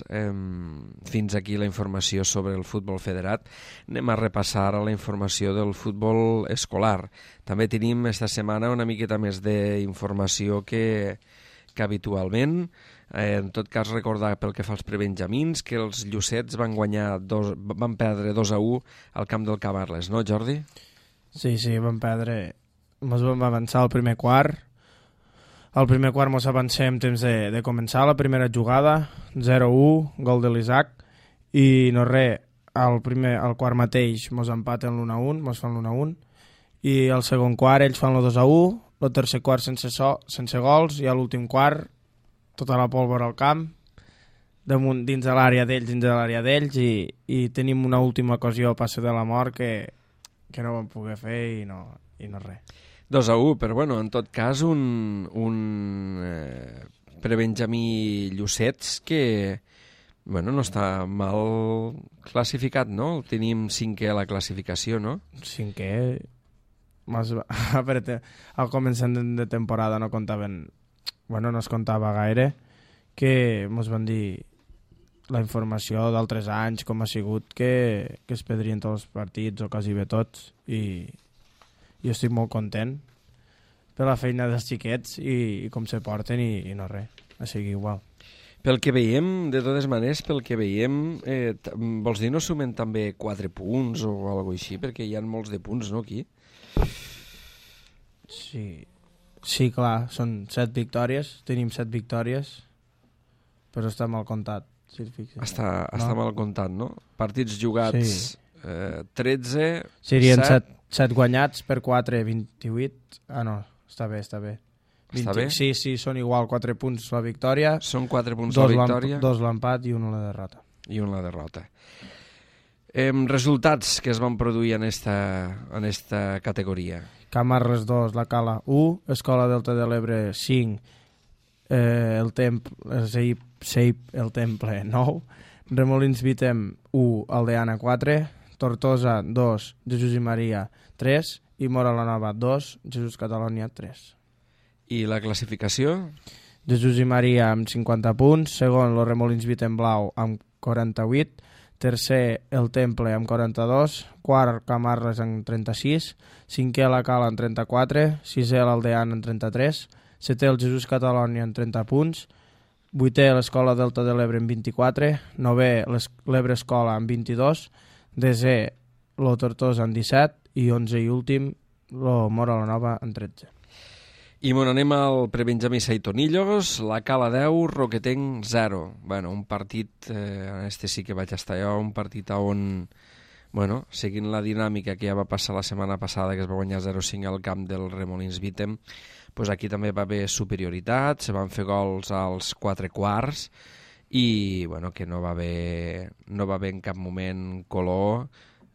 fins aquí la informació sobre el futbol federat. Anem a repassar ara la informació del futbol escolar. També tenim esta setmana una miqueta més d'informació que habitualment. En tot cas, recordar pel que fa als prebenjamins que els Llucets van perdre 2-1 al camp del Camarles, no, Jordi? Sí, van perdre. Ens vam avançar al primer quart. Al primer quart ens avancem temps de començar la primera jugada, 0-1, gol de l'Isaac, i no res, al quart mateix ens empaten l'1-1, ens fan l'1-1, i al segon quart ells fan el 2-1, el tercer quart sense gols, i a l'últim quart tota la pólvora al camp, dins de l'àrea d'ells, i tenim una última ocasió a passe de la mort que no vam poder fer i no res. 2-1, però en tot cas un prebenjamí Llucets que no està mal classificat, no? El tenim 5è a la classificació, no? 5è? Al començament de temporada no es comptava gaire, que ens van dir la informació d'altres anys, com ha sigut, que es perdrien tots els partits, o quasi bé tots, i jo estic molt content per la feina dels xiquets i com se porten i no res, a seguir igual. Pel que veiem, de totes maneres, vols dir no sumen també 4 punts o alguna cosa així? Perquè hi ha molts de punts, no, aquí? Sí, clar, són 7 victòries, tenim 7 victòries, però està mal comptat, si et fixes. Està mal comptat, no? Partits jugats, 13... Serien 7 guanyats per 4, 28... Ah, no, està bé. Està bé? Sí, són igual, 4 punts la victòria. Són 4 punts la victòria. 2 l'empat i 1 la derrota. Resultats que es van produir en esta categoria. Camarles 2, la Cala 1, Escola Delta de l'Ebre 5, el Temple 9, Remolins Vitem 1, Aldeana 4, Tortosa 2, Jesús i Maria 3 i Mora la Nova 2, Jesús Catalònia 3. I la classificació? Jesús i Maria amb 50 punts, segon los Remolins Vitem Blau amb 48, tercer el Temple amb 42, quart Camarles amb 36, cinquè la Cala amb 34, sisè l'Aldeana amb 33, setè el Jesús Catalònia amb 30 punts, vuitè l'Escola Delta de l'Ebre amb 24, novè l'Ebre Escola amb 22, desè lo Tortosa amb 17 i 11 i últim lo Mora la Nova amb 13. I on anem al prebenjamí Saitonillos, la Cala 10, Roquetenc 0. Bueno, un partit, este sí que vaig estar jo, un partit on, bueno, seguint la dinàmica que ja va passar la setmana passada, que es va guanyar 0-5 al camp del Remolins Vítem, pues aquí també va haver superioritat, se van fer gols als 4 quarts i bueno, que no va haver en cap moment color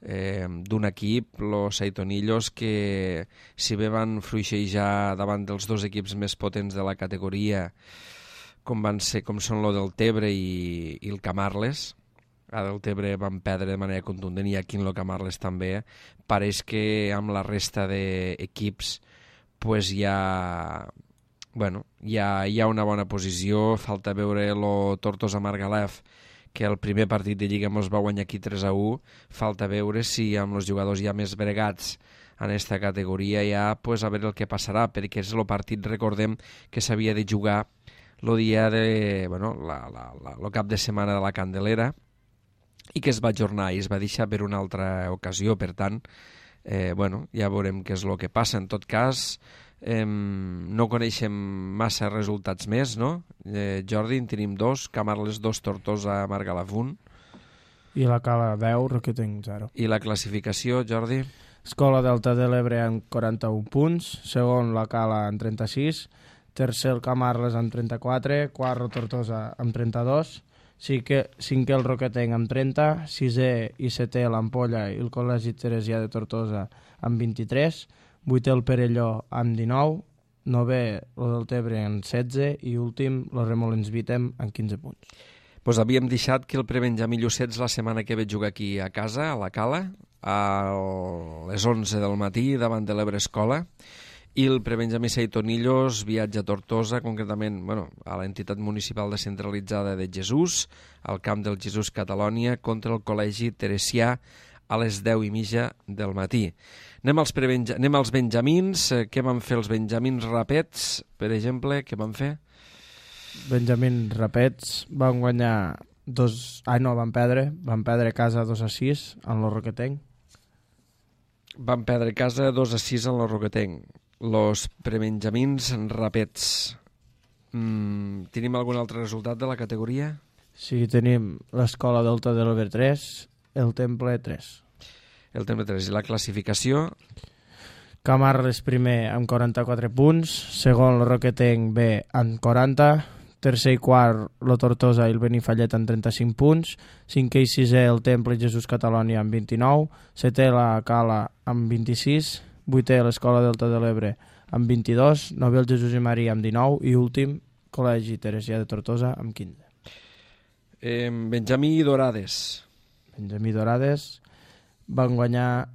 d'un equip, los Saitonillos, que si bé van fluixejar davant dels dos equips més potents de la categoria, com són lo del Tebre i el Camarles. A del Tebre van perdre de manera contundent i aquí en el Camarles també. Pareix que amb la resta d'equips pues hi ha una bona posició. Falta veure lo Tortosa Margalef, que el primer partit de Lliga mos va guanyar aquí 3-1, falta veure si amb els jugadors ja més bregats en aquesta categoria ja pues, a veure el que passarà, perquè és el partit, recordem, que s'havia de jugar el dia de, bueno, el cap de setmana de la Candelera i que es va ajornar i es va deixar per una altra ocasió, per tant, ja veurem què és el que passa. En tot cas, no coneixem massa resultats més, no? Jordi, en tenim 2, Camarles 2, Tortosa Margalef 1. I la Cala 10, Roquetenc 0. I la classificació, Jordi? Escola Delta de l'Ebre amb 41 punts, segon la Cala amb 36, tercer el Camarles amb 34, quart Tortosa amb 32, cinquè el Roquetenc amb 30, sisè i setè l'Ampolla i el Col·legi Teresià de Tortosa amb 23, vuitè el Perelló amb 19, novè el del Tebre amb 16 i últim el Remolins Vítem amb 15 punts. Pues havíem deixat que el prebenjamí Llucets la setmana que ve jugar aquí a casa, a la Cala, a les 11 del matí davant de l'Ebre Escola, i el prebenjamí Saitonillos viatja a Tortosa, concretament a l'entitat municipal descentralitzada de Jesús, al camp del Jesús Catalònia, contra el Col·legi Teresià a les 10:30 del matí. Anem als benjamins. Què van fer els benjamins Rapets, per exemple? Què van fer? Benjamins Rapets van guanyar van perdre a casa 2-6 en el Roquetenc. Van perdre a casa 2-6 en el Roquetenc. Los prebenjamins Rapets. Tenim algun altre resultat de la categoria? Sí, tenim l'Escola Delta de l'Ebre 3, el Temple 3. El Temple 3. I la classificació? Camarles primer amb 44 punts, segon el Roquetenc B amb 40, tercer i quart la Tortosa i el Benifallet amb 35 punts, cinquè i sisè el Temple Jesús Catalònia amb 29, setè la Cala amb 26, vuitè l'Escola Delta de l'Ebre amb 22, novè el Jesús i Maria amb 19 i últim Col·legi Teresià de Tortosa amb 15. Benjamí Dorades. Benjamí Dorades van guanyar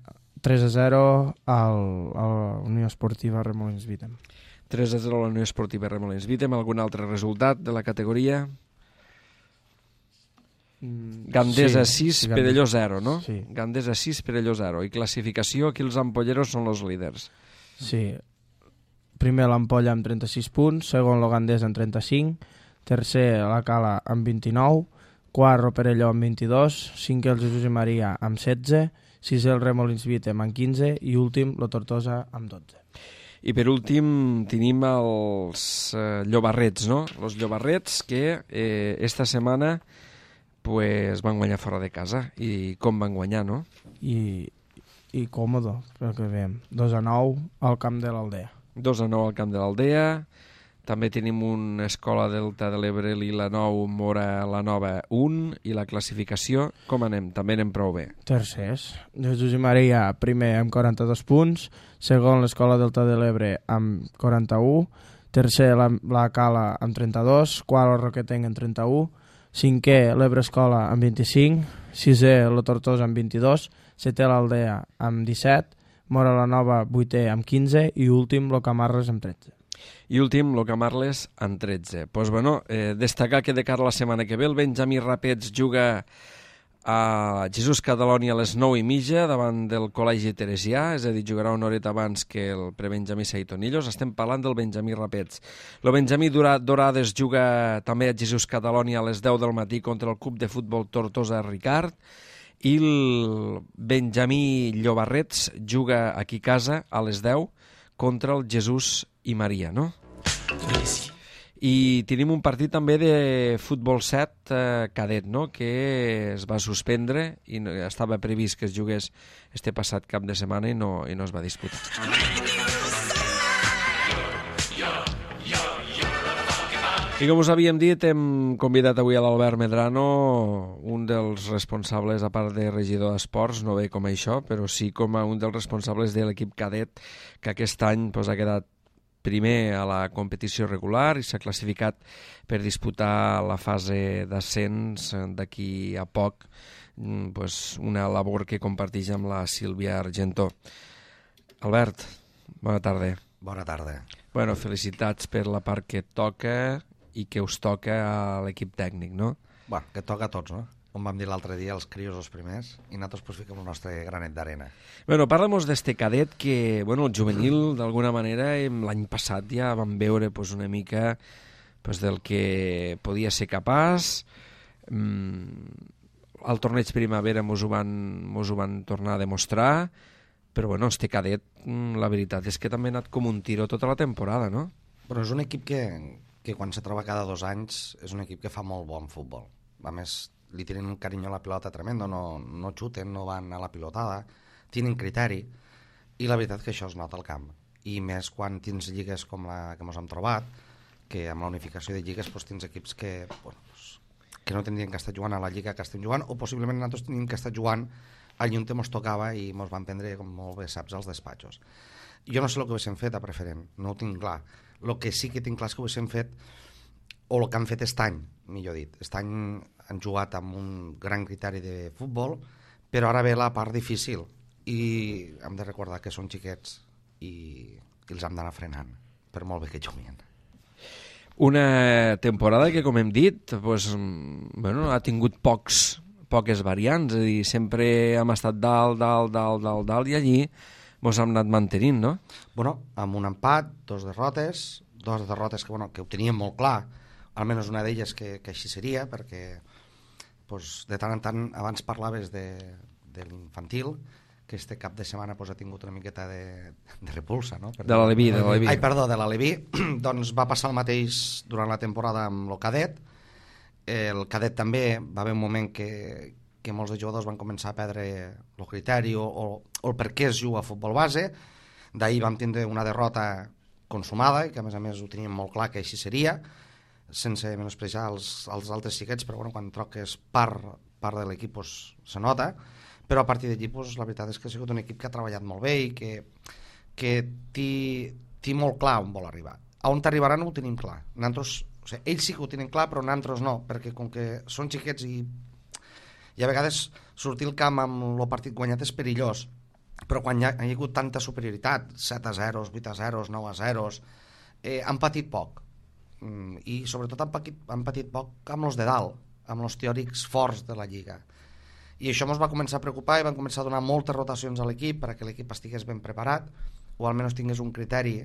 3-0 a la Unió Esportiva Remolins Vítem. 3-0 a la Unió Esportiva Remolins Vítem. Algun altre resultat de la categoria? Gandesa 6, Perelló 0, no? Sí. Gandesa 6, Perelló 0. I classificació, aquí els ampolleros són els líders. Sí. Primer l'Ampolla amb 36 punts, segon el Gandesa amb 35, tercer la Cala amb 29, quart el Perelló amb 22, cinquè el Jesús i Maria amb 16, sisè el Remolins Vítem amb 15 i últim la Tortosa amb 12. I per últim tenim els Llobarrets, no? Els Llobarrets que esta setmana pues, van guanyar fora de casa. I com van guanyar, no? I còmodo, pel que veiem. 2-9 al camp de l'Aldea. 2-9 al camp de l'Aldea. També tenim una Escola Delta de l'Ebre, Lila 9, Mora la Nova 1. I la classificació, com anem? També anem prou bé. Tercers. Jesús i Maria, primer amb 42 punts, segon l'Escola Delta de l'Ebre amb 41, tercer la Cala amb 32, quart el Roquetenc amb 31, cinquè l'Ebre Escola amb 25, sisè la Tortosa amb 22, setè l'Aldea amb 17, Mora la Nova 8è amb 15 i últim el Camarles amb 13. I últim, el Camarles amb 13. Pues bueno, destacar que de cara a la setmana que ve el Benjamí Rapets juga a Jesús Catalònia a les 9:30 davant del Col·legi Teresià, és a dir, jugarà una horeta abans que el prebenjamí Saitonillos. Estem parlant del Benjamí Rapets. El Benjamí Dorades juga també a Jesús Catalònia a les 10 del matí contra el Club de Futbol Tortosa Ricard i el Benjamí Llobarrets juga aquí a casa a les 10 contra el Jesús i Maria, no? Sí. I tenim un partit també de futbol 7 cadet, no? Que es va suspendre i estava previst que es jugués este passat cap de setmana i no es va disputar. I com us havíem dit, hem convidat avui a l'Albert Medrano, un dels responsables, a part de regidor d'esports, no ve com això, però sí com a un dels responsables de l'equip cadet, que aquest any ha quedat primer a la competició regular i s'ha classificat per disputar la fase d'ascens d'aquí a poc, una labor que comparteix amb la Sílvia Argentó. Albert, bona tarda. Bona tarda. Bueno, felicitats per la part que et toca i que us toca a l'equip tècnic, no? Bueno, que toca a tots, no? Com vam dir l'altre dia, els crios els primers, i nosaltres fiquem el nostre granet d'arena. Bueno, parla'm d'este cadet que, bueno, el juvenil, d'alguna manera, l'any passat ja vam veure una mica del que podia ser capaç. Al torneig primavera mos ho van tornar a demostrar, però, bueno, este cadet, la veritat és que també ha anat com un tiro tota la temporada, no? Però és un equip que quan se troba cada 2 anys és un equip que fa molt bon futbol. A més, li tenen un carinyo a la pilota tremendo, no xuten, no van a la pilotada, tenen criteri, i la veritat que això es nota al camp. I més quan tens lligues com la que ens hem trobat, que amb la unificació de lligues tens equips que no tindrien que estar jugant a la lliga que estem jugant, o possiblement nosaltres tenim que estar jugant allà on ens tocava i ens van prendre, com molt bé saps, als despatxos. Jo no sé el que haguéssim fet a preferent, no ho tinc clar. El que sí que tinc clar és que haguéssim fet, o el que han fet aquest any, millor dit. Aquest any han jugat amb un gran criteri de futbol, però ara ve la part difícil i hem de recordar que són xiquets i els hem d'anar frenant, per molt bé que juguin. Una temporada que, com hem dit, ha tingut poques variants, és a dir, sempre hem estat dalt, i allí ens hem anat mantenint, no? Bueno, amb un empat, 2 derrotes que ho teníem molt clar, almenys una d'elles que així seria, perquè de tant en tant, abans parlaves de l'infantil, que este cap de setmana ha tingut una miqueta de repulsa, no? De l'Aleví. Ai, perdó, de l'Aleví. Doncs va passar el mateix durant la temporada amb el cadet. El cadet també va haver un moment que molts de jugadors van començar a perdre el criteri o el per què es juga a futbol base. D'ahir vam tindre una derrota consumada, i que a més ho teníem molt clar que així seria, sense menosprejar els altres xiquets, però quan troques part de l'equip se nota, però a partir d'allí la veritat és que ha sigut un equip que ha treballat molt bé i que té molt clar on vol arribar. A on t'arribaran no ho tenim clar. Ells sí que ho tenen clar, però nosaltres no, perquè com que són xiquets i a vegades sortir al camp amb el partit guanyat és perillós, però quan hi ha hagut tanta superioritat, 7-0, 8-0, 9-0, han patit poc. I sobretot han patit poc amb els de dalt, amb els teòrics forts de la Lliga. I això ens va començar a preocupar i van començar a donar moltes rotacions a l'equip perquè l'equip estigués ben preparat, o almenys tingués un criteri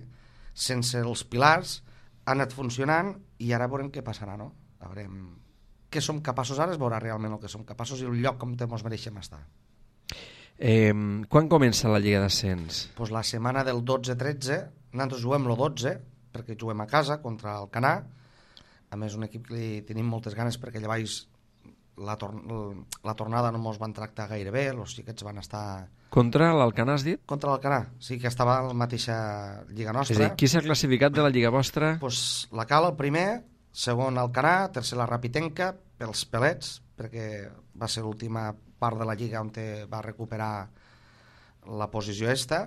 sense els pilars. Ha anat funcionant i ara veurem què passarà, no? Veurem què som capaços ara, es veurà realment el que som capaços i el lloc com ens mereixem estar. Quan comença la Lliga d'Ascens? La setmana del 12-13, nosaltres juguem el 12, perquè juguem a casa contra el Canà. A més, un equip que li tenim moltes ganes perquè allà baix la tornada no ens van tractar gaire bé, els xiquets van estar... Contra l'Alcanar, has dit? Contra l'Alcanar, sí, que estava a la mateixa lliga nostra. És a dir, qui s'ha classificat de la lliga vostra? La Cala, el primer, segon Alcanar, tercer la Rapitenca, pels pelets, perquè va ser l'última part de la lliga on va recuperar la posició esta,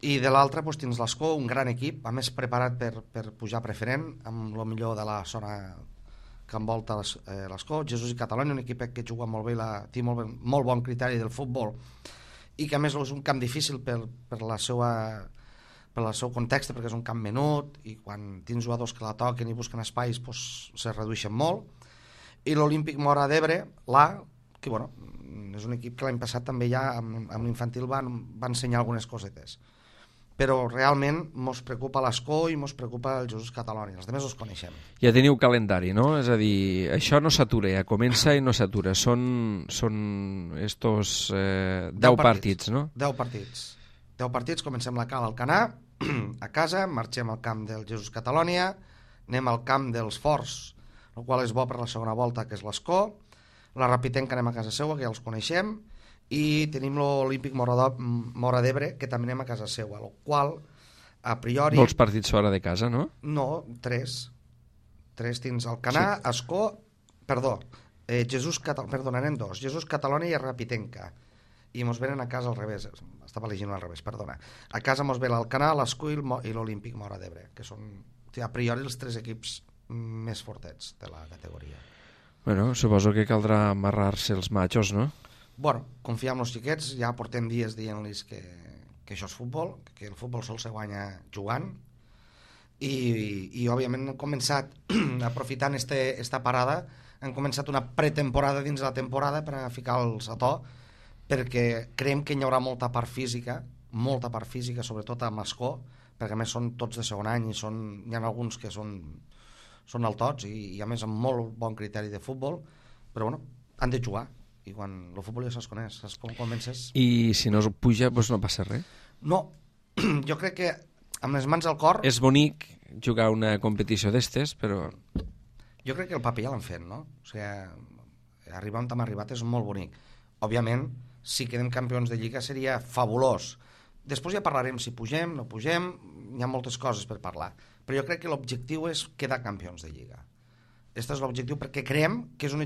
i de l'altra tens l'Escó, un gran equip, a més preparat per pujar preferent, amb el millor de la zona que envolta l'Escó. Jesús i Catalunya, un equip que juga molt bé, té molt bon criteri del futbol, i que a més és un camp difícil per el seu context, perquè és un camp menut, i quan tens jugadors que la toquen i busquen espais se redueixen molt. I l'Olímpic Mora d'Ebre, que és un equip que l'any passat també ja amb l'infantil va ensenyar algunes cosetes, però realment ens preocupa l'Escó i ens preocupa el Jesús Catalunya, els altres els coneixem. Ja teniu calendari, no? És a dir, això no s'atura, ja comença i no s'atura, són estos 10 partits, no? 10 partits, comencem la Cala al Canà, a casa, marxem al camp del Jesús Catalònia, anem al camp dels Forts, el qual és bo per la segona volta, que és l'Escó, la Rapitenca anem a casa seua, que ja els coneixem, i tenim l'Olímpic Móra d'Ebre, que també anem a casa seua, el qual, a priori... Molts partits fora de casa, no? No, 3. 3 dins Alcanar, sí. Escó, perdó, anem 2, Jesús Catalònia i Rapitenca. I mos venen a casa al revés, estava llegint al revés, perdona. A casa mos ve l'Alcanar, l'Escó i l'Olímpic Móra d'Ebre, que són a priori els 3 equips més fortets de la categoria. Bueno, suposo que caldrà amarrar-se els machos, no? Bueno, confiar en els xiquets, ja portem dies dient-los que això és futbol, que el futbol sol se guanya jugant, i òbviament hem començat, aprofitant esta parada, hem començat una pretemporada dins la temporada per a ficar-los a to, perquè creiem que hi haurà molta part física, sobretot a Mascó, perquè a més són tots de segon any i hi ha alguns que són al tots i a més amb molt bon criteri de futbol, però bueno, han de jugar, i quan el futbol ja se'ls coneix, saps com comences? I si no es puja, doncs no passa res? No, jo crec que amb les mans al cor... És bonic jugar una competició d'estes, però... Jo crec que el paper ja l'han fet, no? O sigui, arribar on hem arribat és molt bonic. Òbviament, si quedem campions de Lliga seria fabulós. Després ja parlarem si pugem, no pugem, hi ha moltes coses per parlar. Però jo crec que l'objectiu és quedar campions de Lliga. Aquest és l'objectiu perquè creiem que és un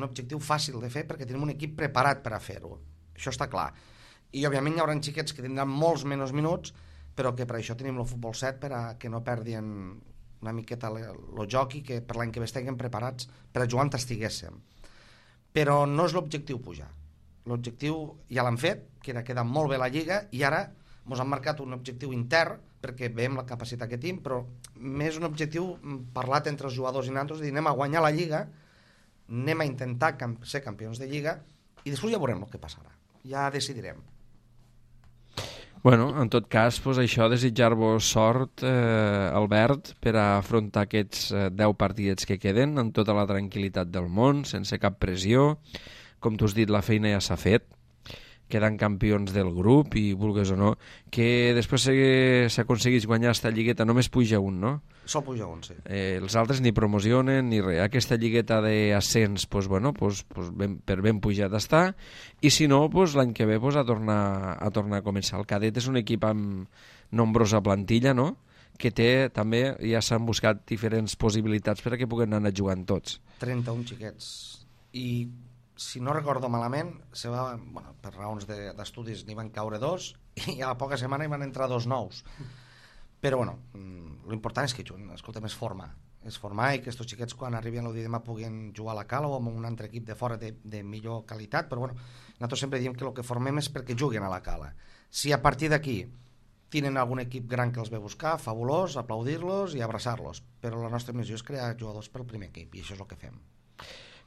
objectiu fàcil de fer perquè tenim un equip preparat per a fer-ho. Això està clar. I òbviament hi haurà xiquets que tindran molts menys minuts, però que per això tenim el futbol 7 per a que no perdin una miqueta el joc i que per l'any que ve estiguem preparats per a jugar on estiguéssim. Però no és l'objectiu pujar. L'objectiu ja l'han fet, que era quedar molt bé la Lliga, i ara ens han marcat un objectiu intern perquè veiem la capacitat que tenim, però més un objectiu parlat entre els jugadors i nosaltres, de dir, anem a guanyar la Lliga, anem a intentar ser campions de Lliga i després ja veurem el que passarà, ja decidirem. Bueno, en tot cas, doncs això, desitjar-vos sort, Albert, per a afrontar aquests 10 partidets que queden amb tota la tranquil·litat del món, sense cap pressió. Com tu has dit, la feina ja s'ha fet, quedant campions del grup i, vulgues o no, que després s'aconseguís guanyar aquesta lligueta, només puja un, no? Sol puja un, sí. Els altres ni promocionen ni res. Aquesta lligueta d'ascens, doncs, bueno, per ben pujat està, i si no, doncs, l'any que ve a tornar a començar. El cadet és un equip amb nombrosa plantilla, no?, que té també, ja s'han buscat diferents possibilitats per a que puguen anar jugant tots. 31 xiquets. I si no recordo malament, per raons d'estudis n'hi van caure 2 i a la poca setmana hi van entrar 2 nous. Però bueno, l'important és que juguen, escolta'm, és formar i que aquests xiquets quan arribin a l'Odidema puguin jugar a la Cala o amb un altre equip de fora de millor qualitat, però bueno, nosaltres sempre diem que el que formem és perquè juguin a la Cala. Si a partir d'aquí tenen algun equip gran que els ve buscar, fabulós, aplaudir-los i abraçar-los, però la nostra missió és crear jugadors pel primer equip i això és el que fem.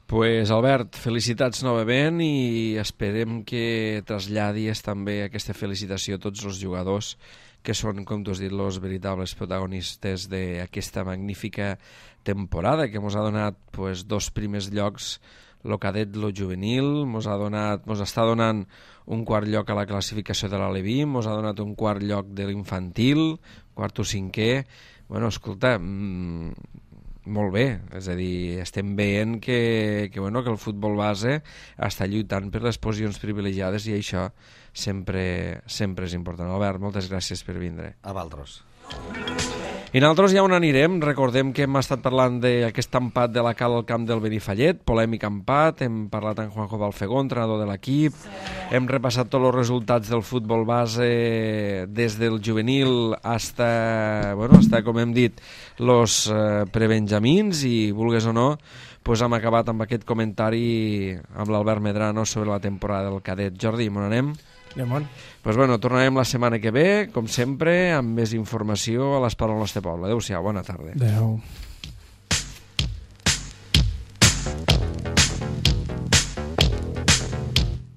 Pues Albert, felicitats novament i esperem que traslladis també aquesta felicitació a tots els jugadors que són, com tu has dit, els veritables protagonistes d'aquesta magnífica temporada que ens ha donat 2 primers llocs, el cadet, el juvenil, ens està donant un 4 lloc a la classificació de l'Aleví, ens ha donat un 4 lloc de l'infantil, 4 o 5è. Bueno, escolta, molt bé, és a dir, estem veient que el futbol base està lluitant per les posicions privilegiades i això sempre és important. Albert, moltes gràcies per vindre. A vosaltres. I nosaltres ja on anirem, recordem que hem estat parlant d'aquest empat de la Cala al camp del Benifallet, polèmic empat, hem parlat amb Juanjo Balfegó, entrenador de l'equip, hem repassat tots els resultats del futbol base des del juvenil hasta, com hem dit, els prebenjamins i, vulgues o no, hem acabat amb aquest comentari amb l'Albert Medrano sobre la temporada del cadet. Jordi, on anem? Tornarem la setmana que ve, com sempre, amb més informació a l'Esport al nostre poble. Adéu-siau, bona tarda. Adéu.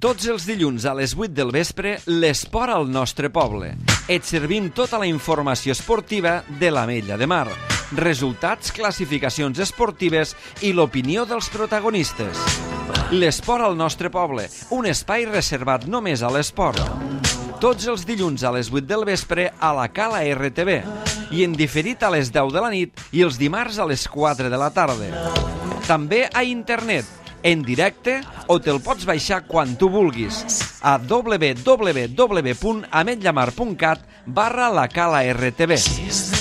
Tots els dilluns a les 8 del vespre, l'Esport al nostre poble. Et servim tota la informació esportiva de l'Ametlla de Mar. Resultats, classificacions esportives i l'opinió dels protagonistes. L'Esport al nostre poble, un espai reservat només a l'esport. tots els dilluns a les 8 del vespre a la Cala RTV i en diferit a les 10 de la nit i els dimarts a les 4 de la tarda. També a internet, en directe, o te'l pots baixar quan tu vulguis a www.ametlllamar.cat/la Cala RTV.